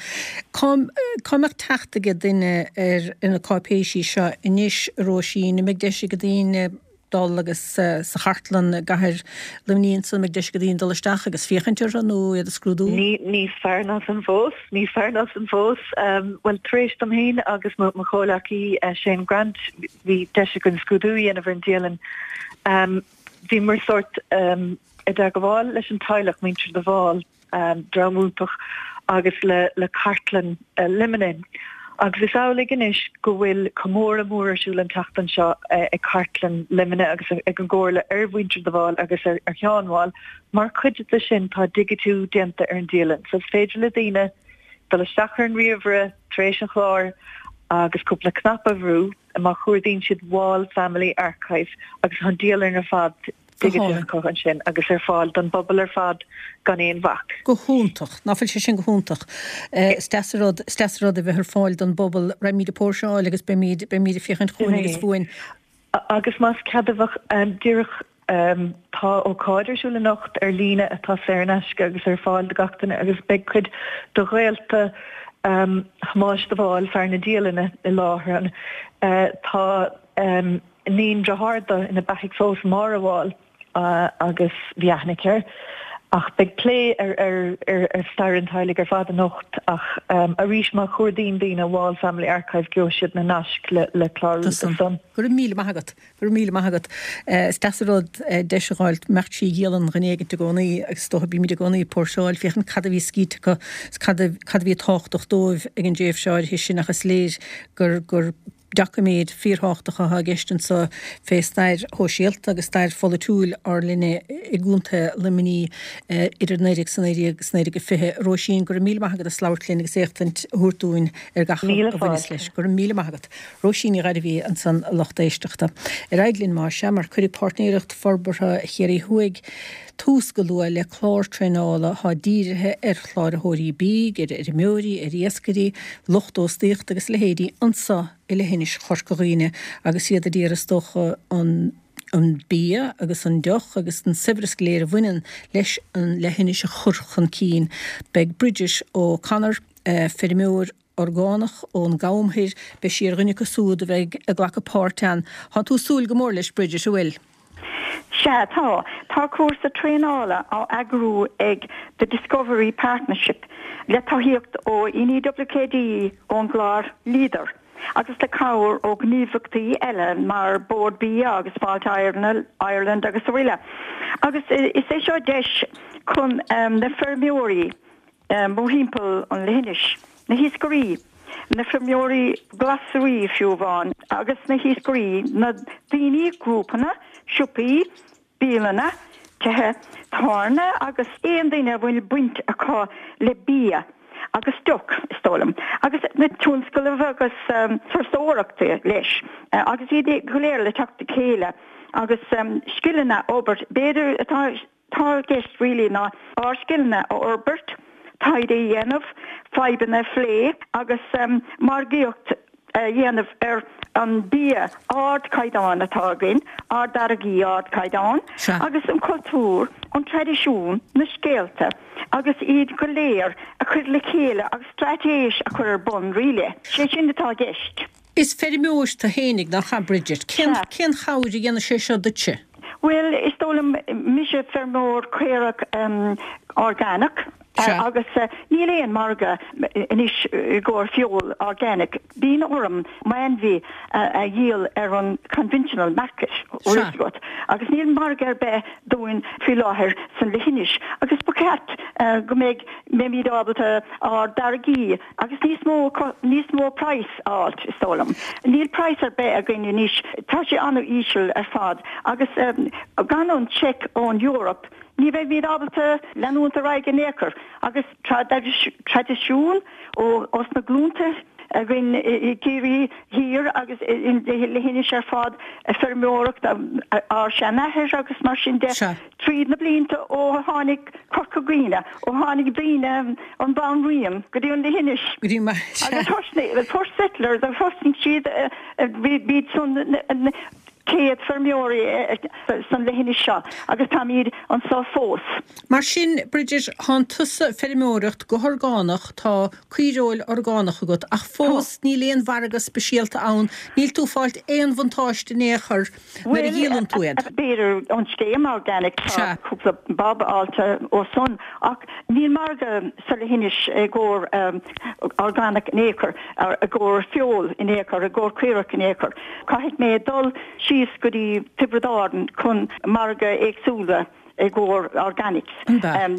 A: Cá mbeadh teacht ag duine ar na cáipéisí seo anois, a Róisín? An mbeidh deis ag daoine dul agus sa chartlann i gcathair Luimnigh ansan, an mbeidh deis ag daoine dul isteach agus féachaint orthu nó iad a scrúdú?
D: Níos fearr ná san fós, níos fearr ná san fós. Bhuel, tar éis dom féin agus mo chomhleacaí Shane Grant, bhí deis againn scrúdú a dhéanamh ar an dialann. Bhíomar sórt i dteagmháil leis an teaghlach, muintir de Bhál. dream iontach agus le le Cartlann Luimnigh. Agus is amhlaidh anois go bhfuil comóradh mór ar siúl an tseachtain seo ag Cartlann Luimnigh agus ag an gComhairle ar mhuintir de Bhál agus ar Sheán Wall. Mar chuid de sin tá digitiú déanta ar an dialann so is féidir le daoine dul isteach ar an ríomhaire tar éis an chláir. agus cúpla cnaipe a bhrú má chuardaíonn siad Wall Family Archive agus tá an dialann ar fad digiteach acu ansin agus ar fáil don bpobal ar fad gan aon bhac.
A: Go hiontach. Ná fuil sé sin go hiontach. Is deas an rud, is deas an rud a bheith ar fáil don bpobal. Raghaimid ag póirseáil agus beimid, beimid ag féachaint chugainn agus
D: fúinn. Agus más ceadmhach, díreach, tá ócáid ar siúl anocht ar líne atá saor in aisce agus ar fáil do gach duine agus beidh cuid de ghaolta Thomáis de Bhál, fear na dialainne, i láthair ann. Tá iníon dearthár dó ina beathaidh fós, Máire Wall, agus bhí aithne aici air. Ach beidh plé ar ar stair an teaghlaigh ar fad anocht ach arís má chuardaíonn daoine Wall Family Archive gheobhaidh siad na naisc le clárú
A: do san. Go raibh míle maith agat. Go raibh míle maith agat. Is deas an rud deis a dh'fháilt mbeadh sí ag dialann dhuine éigint i gcónaí agus is dócha bímid i gcónaí ag póirseáil féachaint cad a bhí scríte acu is cad a cad a bhí tábhachtach dóibh ag an dtréimhse áirithe sin ach is léir gur gur doiciméid fíorthábhachtacha atá i gceist anseo fé stair shóisialta agus stair pholaitiúil ár linne i gContae Luimnigh idir 19 's 19 is 1920. Róisín, go raibh míle maith agat as labhairt linn agus éachtaint a thabhairt dúinn ar gach
D: a bhaineas
A: leis. Go raibh míle maith agat. Róisín Ní Ghairbhí ansan a lucht éisteachta. Ar aghaidh linn más ea, mar cuirfidh Páirtnéireacht Forbartha Chiarraí Thuaidh tús go luath le clár traenála atá dírithe ar chláraitheoirí bídh, ar fheirmeoirí, ar iascairí, lucht óstaíochta agus a leithéidí anso i leithinis Chorca Dhuibhne agus iad a d'iarraidh is dócha an an bia agus an deoch agus an saibhreas go léir a bhaineann leis an leithinis a chur chun cinn. Beidh Bridget O'Connor, feirmeoir orgánach ón gCam Thoir, beidh sí ar dhuine acu súd a bheidh ag glacadh páirt ann. Tá tú ag súil go mór leis, Bridget, an bhfuil?
E: Sea, tá. Tá cúrsa traenála á eagrú ag The Discovery Partnership le tacaíocht ó NEWKD ón gclár Leader agus le cabhair ó ghníomhaireachtaí eile mar Bord Bia agus Fáilte Ireland agus araile. Agus is é seo deis chun na feirmeoirí mórthimpeall an leithinis, na hiascairí, na feirmeoirí glasraí fiú amháin, agus na hiascairí, na daoine, grúpanna, siopaí, bialanna, tithe tábhairne agus aon duine a bhfuil baint acu le bia agus deoch, is dóigh liom, agus na tionscnaimh agus turasóireachta leis, agus iad go léir le teacht le chéile agus scileanna a fhorbairt, b'fhéidir atá Tá i gceist really ná ár scileanna a fhorbairt, taighde a dhéanamh, fadhbanna a phlé agus margaíocht a dhéanamh ar an bia ardchaighdeáin atá againn, ár dtáirgí ardchaighdeáin, agus an cultúr, an traidisiún, na scéalta agus iad go léir a chur le chéile agus straitéis a chur ar bun really. Sé sin atá i gceist.
A: Is feirmeoir tú fhéinig, nach ea, Bridget? Cén, cén chabhair a dhéanfaidh sé seo duitse?
E: Bhuel, is dóigh liom, mise feirmeoir caorach orgánach agus níl aon margadh anois i gcomhair feoil organic. Bíonn orm m'ainmhí a dhíol ar an conventional market, bhfuil fhios agat, agus níl margadh ar bith dúinn faoi láthair san leithinis agus ba cheart go mbeidh, mbeimid ábalta ár dtáirgí Agus níos mó, níos mó praghas a fháilt, is dóigh liom. Níl praghas ar bith againn anois, tá sé an-íseal ar fad agus gan an check ón Eoraip ní bheimid ábalta leanúint ar aghaidh in aon chor. Agus traidisiún ó sna glúnta againn i gCiarraí Thiar agus i leithinis ar fad, feirmeoireacht ár seanathair agus mar sin de. Tríd na blianta ó tháinig Corca Dhuibhne, ó tháinig daoine ón Bhanríon go dtí an leithinis.
A: Go dtí mar
E: sea. Agus the first settlers, thosnaigh siad, b'iad san na céad feirmeoirí san leithinis seo agus táimid anso fós.
A: Mar sin, Bridget, thánn tusa ag feirmeoireacht go horgánach, tá caoireoil orgánach agat, ach fós níl aon mhargadh speisialta ann, níl tú ag fáilt aon bhuntáiste in aon chor. nuair a dhíolann tú iad.
E: B'fhéidir ón scéim organic tá cúpla bob fháilte ó san ach níl margadh sa leithinis i gcomhair organic in aon chor, i gcomhair feoil in aon chor, i gcomhair caorach in aon chor. Caithfidh mé dul síos go dtí Tiobraid Árann chun margadh éagsúla. I gcomhair organics.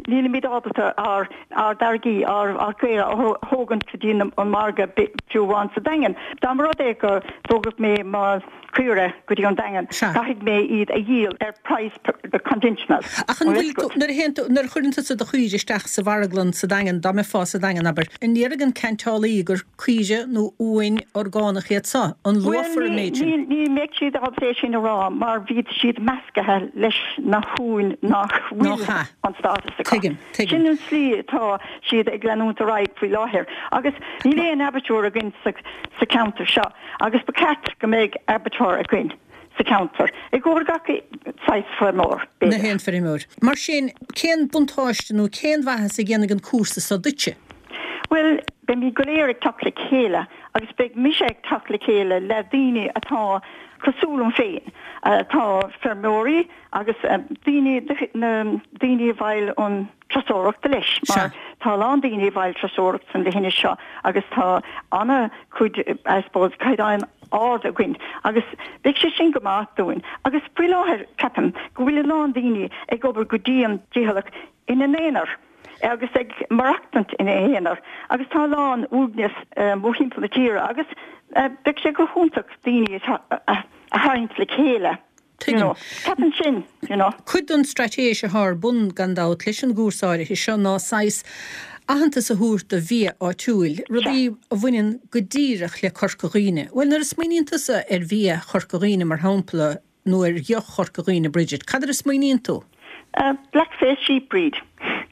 E: Nílimid ábalta ár ár dtáirgí, ár ár gcaora a thógaint go dtí an margadh fiú amháin sa Daingean. Dá mba rud é go dtógfadh mé mo chaora go dtí an Daingean, caithfidh mé iad a dhíol ar praghas conventional.
A: Ach an bhfuil tú, nuair a théann tú, nuair a chuireann tusa do chaoire isteach sa mharglann sa Daingean, dá mbeifeá sa Daingean, abair, an ndéarfaidh an ceantálaí gur caoire nó uain orgánach iad so? An luafar an méid sin?
E: Bhuel, ní mbeidh siad ábalta é sin a rá mar bhíd siad meascaithe leis na huain nach bhfuil an stádas acu.
A: Tuigim, tuigim.
E: Sin an tslí atá siad ag leanúint ar aghaidh faoi láthair agus níl aon abattoir againn sa cheantar seo agus ba cheart go mbeidh abattoir againn sa cheantar i gcomhair gach saghas feirmeoir,
A: b'fhéidir. Na haon feirmeoir. Mar sin, cén buntáiste nó cén mhaitheas a dhéanfaidh an cúrsa so duitse?
E: Bhuel, beimid go léir ag teacht le chéile agus beidh mise ag teacht le chéile le daoine atá cosúil liom féin, atá feirmeoirí agus daoine, na daoine a bhfeighil an turasóireachta leis, mar tá a lán daoine a bhfeighil turasóireacht san leithinis seo agus tá ana-chuid, I suppose, caighdeán ard againn agus beidh sé sin go maith dúinn. Agus faoi láthair ceapaim go bhfuil a lán daoine ag obair go dian dícheallach ina n-aonar. agus ag maireachtaint ina aonar agus tá a lán uaigneas mórthimpeall na tíre agus beidh sé go hiontach daoine a tharraingt le chéile you know. Ceapaim sin you know.
A: Cuid den straitéis atá ar bun, gan dabht, leis an gcúrsa áirithe seo ná saghas aitheantas a thabhairt do bhia áitiúil, rudaí a bhaineann go díreach le Corca Dhuibhne. Bhuel, nuair a smaoiníonn tusa ar bhia Chorca Dhuibhne, mar shampla, nó ar dheoch Chorca Dhuibhne, Bridget, cad air a smaoiníonn tú?
E: Blackface sheep breed,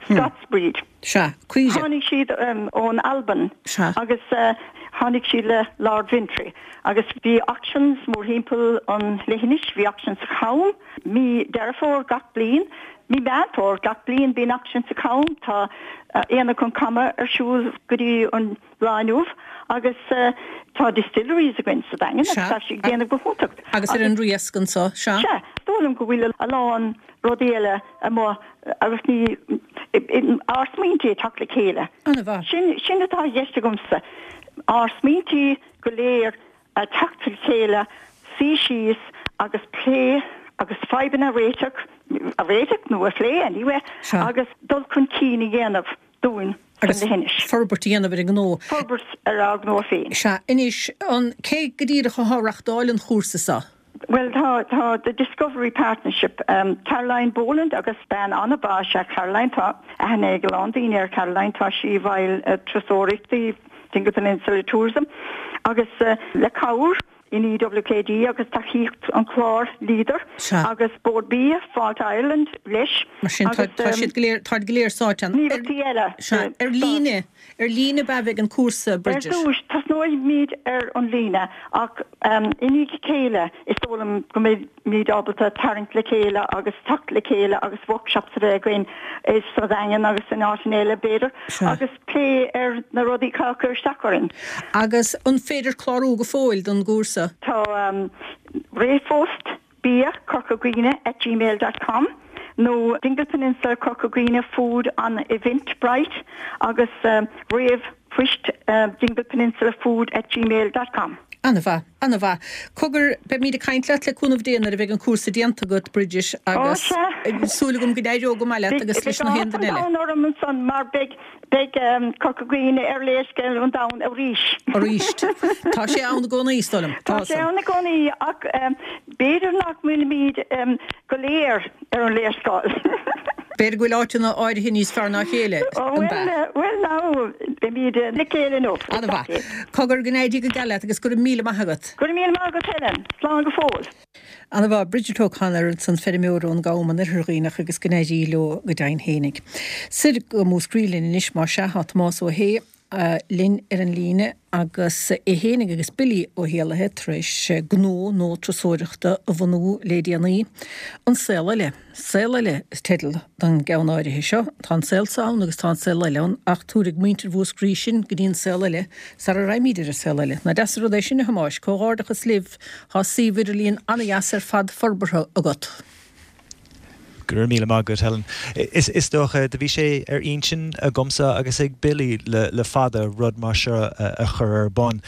E: Scots breed.
A: Sea, caoire.
E: Tháinig siad ón Albain agus tháinig siad le Lord Ventry agus bhí auctions mórthimpeall an leithinis, bhí auction sa Cham mí Deireadh Fómhair gach bliain, mí Meán Fómhair gach bliain bíonn auction sa Cham, tá Aonach an Chama ar siúl go dtí an lá inniu agus tá distilleries againn sa Daingean agus tá siad ag déanamh go hiontach.
A: Agus ar an Riasc anso,
E: sea. Sea, is dóigh liom go bhfuil a lán rudaí eile amuigh agus ní, ár smaointí ag teacht le chéile.
A: An-mhaith.
E: Sin, sin atá i gceist agamsa, ár smaointí go léir a teacht le chéile, suí síos agus plé agus fadhbanna a réiteach, a réiteach nó a phlé anyway, agus dul chun cinn a dhéanamh. dúinn san
A: leithinis. Agus forbairt a dhéanamh ar an ngnó.
E: Forbairt ar ár ngnó féin.
A: Sea. Anois, an, cé go díreach atá ag reachtáil an chúrsa seo?
E: Bhuel, tá, tá The Discovery Partnership, Caroline Boland agus bean an-mhaith is ea Caroline, tá aithne ag a lán daoine ar Caroline, tá sí i bhfeighil turasóireachtaí Dingle Peninsula Tourism agus le cabhair NEWKD agus tacaíocht an clár Leader agus Bord Bia, Fáilte Ireland leis.
A: Mar sin tá tá siad go léir, táid go léir sáite
E: ann. Gníomhaireachtaí eile.
A: Sea, ar líne, ar líne ab ea a bheidh an cúrsa,
E: Bridget? Ar dtús, tosnóimid ar an líne ach i ndiaidh a chéile is dóigh liom go mbeimid ábalta tarraingt le chéile agus teacht le chéile agus workshops a bheith againn sa Daingean agus in áiteanna eile b'fhéidir agus plé ar na rudaí atá ag cur isteach orainn.
A: Agus an féidir clárú go fóill don gcúrsa?
E: Tá ríomhphost bia Corca Dhuibhne at gmail dot com nó Dingle Peninsula Corca Dhuibhne Food on Eventbrite agus ríomhphoist Dingle Peninsula Food at gmail dot com.
A: An-mhaith. An-mhaith. Cogar, beimid ag caint leat le cúnamh Dé nuair a bheidh an cúrsa déanta agat, Bridget, agus súil agam go n-éireoidh go maith leat agus leis na haon duine eile.
E: Beidh áthas an domhain orm ansan mar beidh, beidh Corca Dhuibhne ar léarscáil an domhain arís.
A: Arís. Tá sé ann i gcónaí, is dóigh liom.
E: Tá sé ann i gcónaí ach b'fhéidir nach bhfuilimid go léir ar an léarscáil.
A: B'fhéidir go bhfuil áiteanna áirithe níos fearr ná a chéile,
E: an b'ea? Bhuel, now, beimid le chéile inniu.
A: An-mhaith. Cogar, go n-éirí go geal leat agus go raibh míle maith agat.
E: Go raibh míle maith agat, Helen. Slán go fóill.
A: An-mhaith. Bridget O'Connor ansan, feirmeoir ón gCam in Oirthear Dhuibhneach agus go n-éirí leo go deimhin fhéinig. Soir go Múscraí linn anois, más ea, tá Tomás Ó hAodha linn ar an líne agus é fhéinig agus Billy Ó hÉallaithe tar éis gnó nua turasóireachta a bhunú le déanaí, An Saol Eile. Saol Eile is teideal don gceann áirithe seo. Tá an saol seo ann agus tá an saol eile ann ach tabharfaidh muintir Mhúscraí sinn go dtí an saol eile sara raghaimid ar an saol eile. Nach deas an rud é sin, a Thomáis? Comhghairdeachas libh, tá suíomh idirlín an-dheas ar fad forbartha agat.
F: Go raibh míle maith agat, Helen. Is dócha, do bhí sé ar intinn agamsa agus ag Billy le fada rud mar seo a chur ar bun.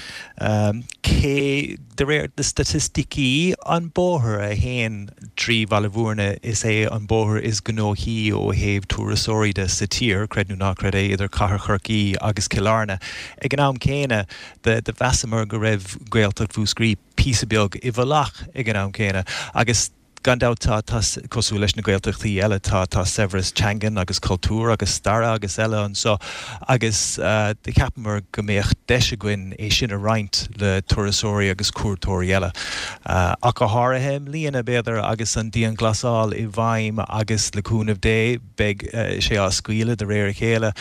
F: Cé, de réir na staitisticí, an bóthar a théann trí Bhaile Bhúirne, is é an bóthar is gnóthaí ó thaobh turasóirí de sa tír, creid nó ná creid é, idir Cathair Chorcaí agus Cill Airne. Ag an am céanna, do mheasamar go raibh Gaeltacht Mhúscraí píosa beag i bhfolach ag an am céanna agus, Gan dabht tá, tá, cosúil leis na Gaeltachtaí eile, tá, tá saibhreas teangan agus cultúir agus staire agus eile anseo agus do cheapamar go mbeadh deis againn é sin a roinnt le turasóirí agus cuairteoirí eile. Ach go háirithe i mbliana, b'fhéidir, agus an dianghlasáil i bhfeidhm agus le cúnamh Dé beidh sé á scaoileadh de réir a chéile,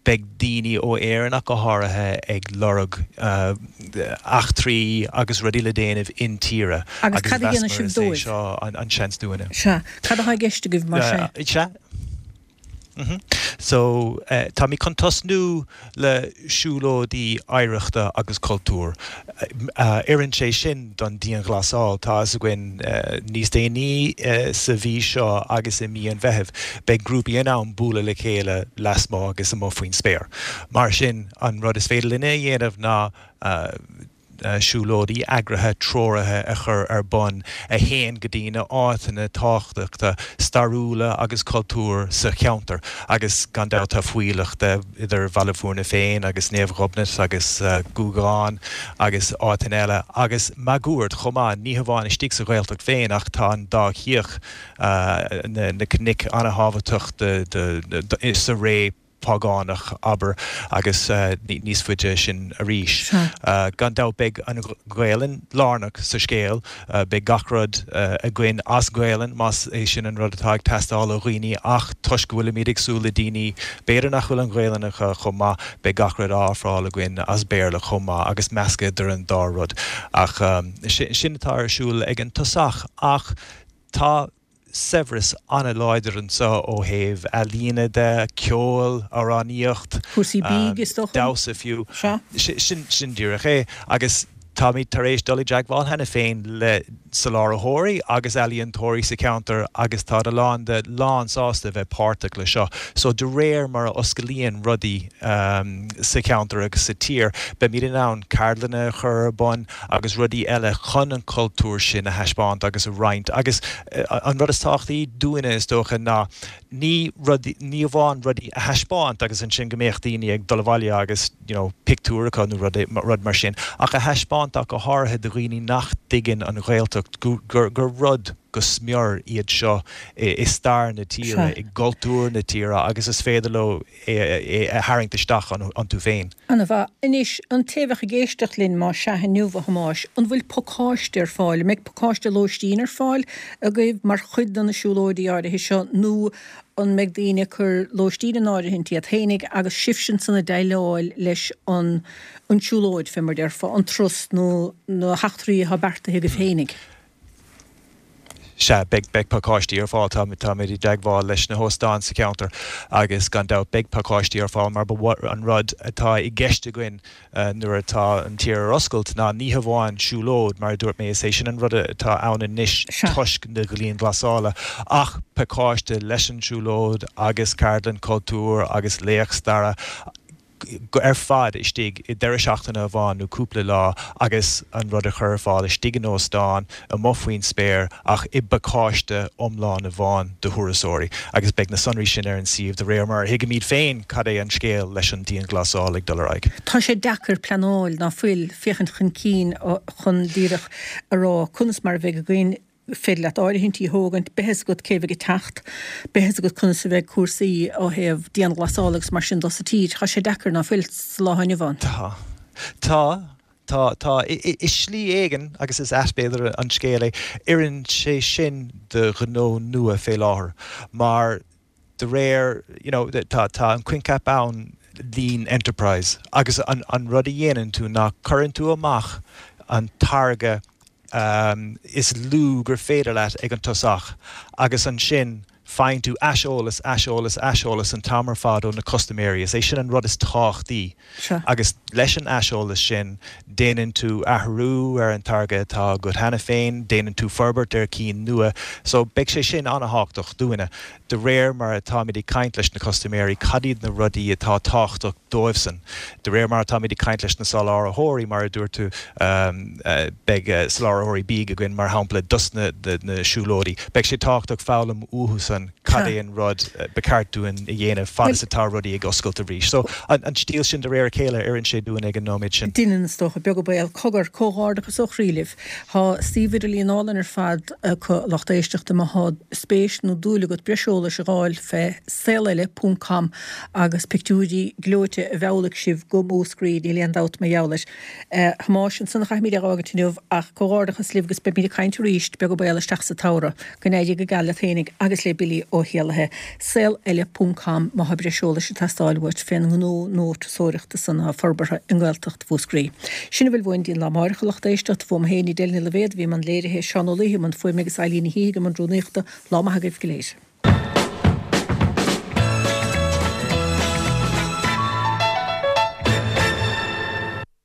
F: beidh daoine ó Éirinn ach go háirithe ag lorg eachtraí agus rudaí le déanamh intíre
A: Agus cad a dhéanfaidh
F: sibh
A: dóibh?
F: Is é seo an seans dúinne.
A: Sea. Cad atá i gceist agaibh mar sin?
F: Sea. So, táimid chun tosnú le siúlóidí oidhreachta agus cultúir. Oireann sé sin don dianghlasáil. Tá fhios againn níos déanaí sa mhí seo agus i mí an Mheithimh, beidh grúpaí in ann bualadh le chéile lasmuigh agus amuigh faoin spéir. Mar sin, an rud is féidir linne a dhéanamh ná siúlóidí eagraithe treoraithe a chur ar bun a théann go dtí na áiteanna tábhachtacha stairiúla agus cultúir sa cheantar agus gan dabht tá fuílleach de idir Bhaile Bhúirne féin agus Naomh Ghobnait agus Gúgán agus áiteanna eile agus máguaird chomh maith, ní hamháin istigh sa Ghaeltacht féin ach tá an dá chioth, na cnoic an-thábhachtach sa ré págánach, abair, agus níos faide sin arís. Gan dabht beidh an Ghaelainn lárnach sa scéal, beidh gach rud againn as Gaelainn más é sin an rud atá ag teastáil ó dhaoine ach toisc go bhfuilimid ag súil le daoine b'fhéidir nach bhfuil an Ghaelainn acu chomh maith, beidh gach rud á ofráil againn as Béarla chomh maith agus meascadh idir an dá rud. Ach sin atá ar siúl ag an tosach ach tá. saibhreas an-láidir anseo ó thaobh ealaíne de, ceol, amhránaíocht,
A: Cúrsaí bídh, is dócha.
F: damhsa fiú.
A: Sea.
F: Sin, sin díreach é. Agus táimid tar éis dul i dteagmháil cheana féin le soláthraithe agus ealaíontóirí sa cheantar agus tá a lán de lán sásta a bheith páirteach le seo. So de réir mar a osclaíonn rudaí sa cheantar agus sa tír, beimid in ann ceardlanna a chur ar bun, agus rudaí eile chun an cultúr sin a thaispeáint agus a roinnt. Agus an rud is tábhachtaí dúinne, is dócha, ná ní rudaí, ní amháin rudaí a thaispeáint agus ansin go mbeadh daoine ag dul abhaile agus you know pictiúr acu nó rud, rud mar sin, ach a thaispeáint ach go háirithe do dhaoine nach dtuigeann an Ghaeltacht gur, gur rud go smior iad seo i stair na tíre, i gcultúr na tíre agus is féidir leo é a tharraingt isteach iontu féin.
A: Ana mhaith. Anois, an té a bheadh ag éisteacht linn, más sea inniu, a Thomáis, an bhfuil pacáiste ar fáil? An mbeidh pacáiste lóistín ar fáil agaibh mar chuid de na siúlóidí áirithe seo nó an mbeidh daoine ag cur lóistín in áirithint iad féinig agus sibhse ansan ag déileáil leis an an tsiúlóid, fé mar déarfá, an turas nó na heachtraí atá beartaithe agaibh féinig?
F: Sea, beidh, beidh pacáistí ar fáil. Tá, táimid i dteagmháil leis na hóstáin sa cheantar agus gan dabht beidh pacáistí ar fáil mar ba an rud atá i gceist againn nuair atá an tír ar oscailt ná ní hamháin siúlóid, mar a dúirt mé, is é sin an rud atá ann anois toisc na dianghlasála, ach pacáiste leis an siúlóid agus ceardlann cultúir agus léacht staire. ar fad istigh i deireadh seachtaine amháin nó cúpla lá agus an rud a chur ar fáil istigh in óstán, amuigh faoin spéir ach i bpacáiste iomlán amháin do thurasóirí agus beidh na sonraí sin ar an suíomh de réir mar a thuigimid féin cad é an scéal leis an dianghlasáil ag dul ar aghaidh.
A: Tá sé deacair pleanáil, ná fuil, féachaint chun cinn chun díreach a rá conas mar a bheidh againn féidir leat áirithintí a thógaint, beidh fhios agat cé bheidh ag teacht, beidh fhios agat conas a bheidh cúrsaí ó thaobh dianghlasála agus mar sin de sa tír. Tá sé deacair, ná fuil, sa lá atá inniu ann?
F: Tá. Tá. Tá. Tá. I slí éigin, agus is ait b'fhéidir an scéal é, oireann sé sin do ghnó nua fé láthair, mar de réir, you know, tá, tá an coincheap ann lean enterprise agus an, an rud a dhéanann tú ná cuireann tú amach an táirge is lú gur féidir leat ag an tosach agus ansin. Faigheann tú aiseolas, aiseolas, aiseolas an t-am ar fad ó na custaiméirí. Is é sin an rud is tábhachtaí. Agus leis an aiseolas sin, déanann tú athrú ar an táirge atá agat cheana féin, déanann tú forbairt ar cinn nua. So, beidh sé sin an-thábhachtach dúinne. De réir mar atáimid ag caint leis na custaiméirí, cad iad na rudaí atá tábhachtach dóibhsan? De réir mar atáimid ag caint leis na soláthraítheoirí, mar a dúirt tú, beidh soláthraítheoirí bídh againn, mar shampla, dos na siúlóidí. Beidh sé tábhachtach foghlaim uathusan cad é an rud ba cheart dúinn a dhéanamh fad is atá rudaí ag oscailt arís. So, an stíl sin de réir a chéile, oireann sé dúinn ag an nóiméad sin.
A: Deineann, is dócha, beag an baol. Cogar, comhghairdeachas ó chroí libh. Tá suíomh idirlín álainn ar fad acu, a lucht éisteachta, má thá spéis nó dúil agat breis eolais a dh'fháil fé, saoleile ponc com agus pictiúirí gleoite a mheallfaidh sibh go Múscraí, níl aon dabht mar gheall air. A Thomáis, ansan a chaithfimid é a dh'fhágaint inniu ach comhghairdeachas libh agus beimid ag caint arís, beag an baol, isteach sa tsamhradh. Go n-éirí go geal leat fhéinig agus le Billy Ó hÉallaithe. Saol Eile ponc com má thá breis eolais ag teastáil uait fén ngnó nua turasóireachta san athá forbartha i nGaeltacht Mhúscraí. Sin a bhfuil uainn dtí'n lá amáireach a lucht éisteachta. Fuaim féin, Edel Ní Loibhéad a bhí i mbun léirithe, Seán Ó Laoithe i mbun fuaime agus Eileen Ní Shíthigh i mbun rúnaíochta. Lá maith agaibh go léir.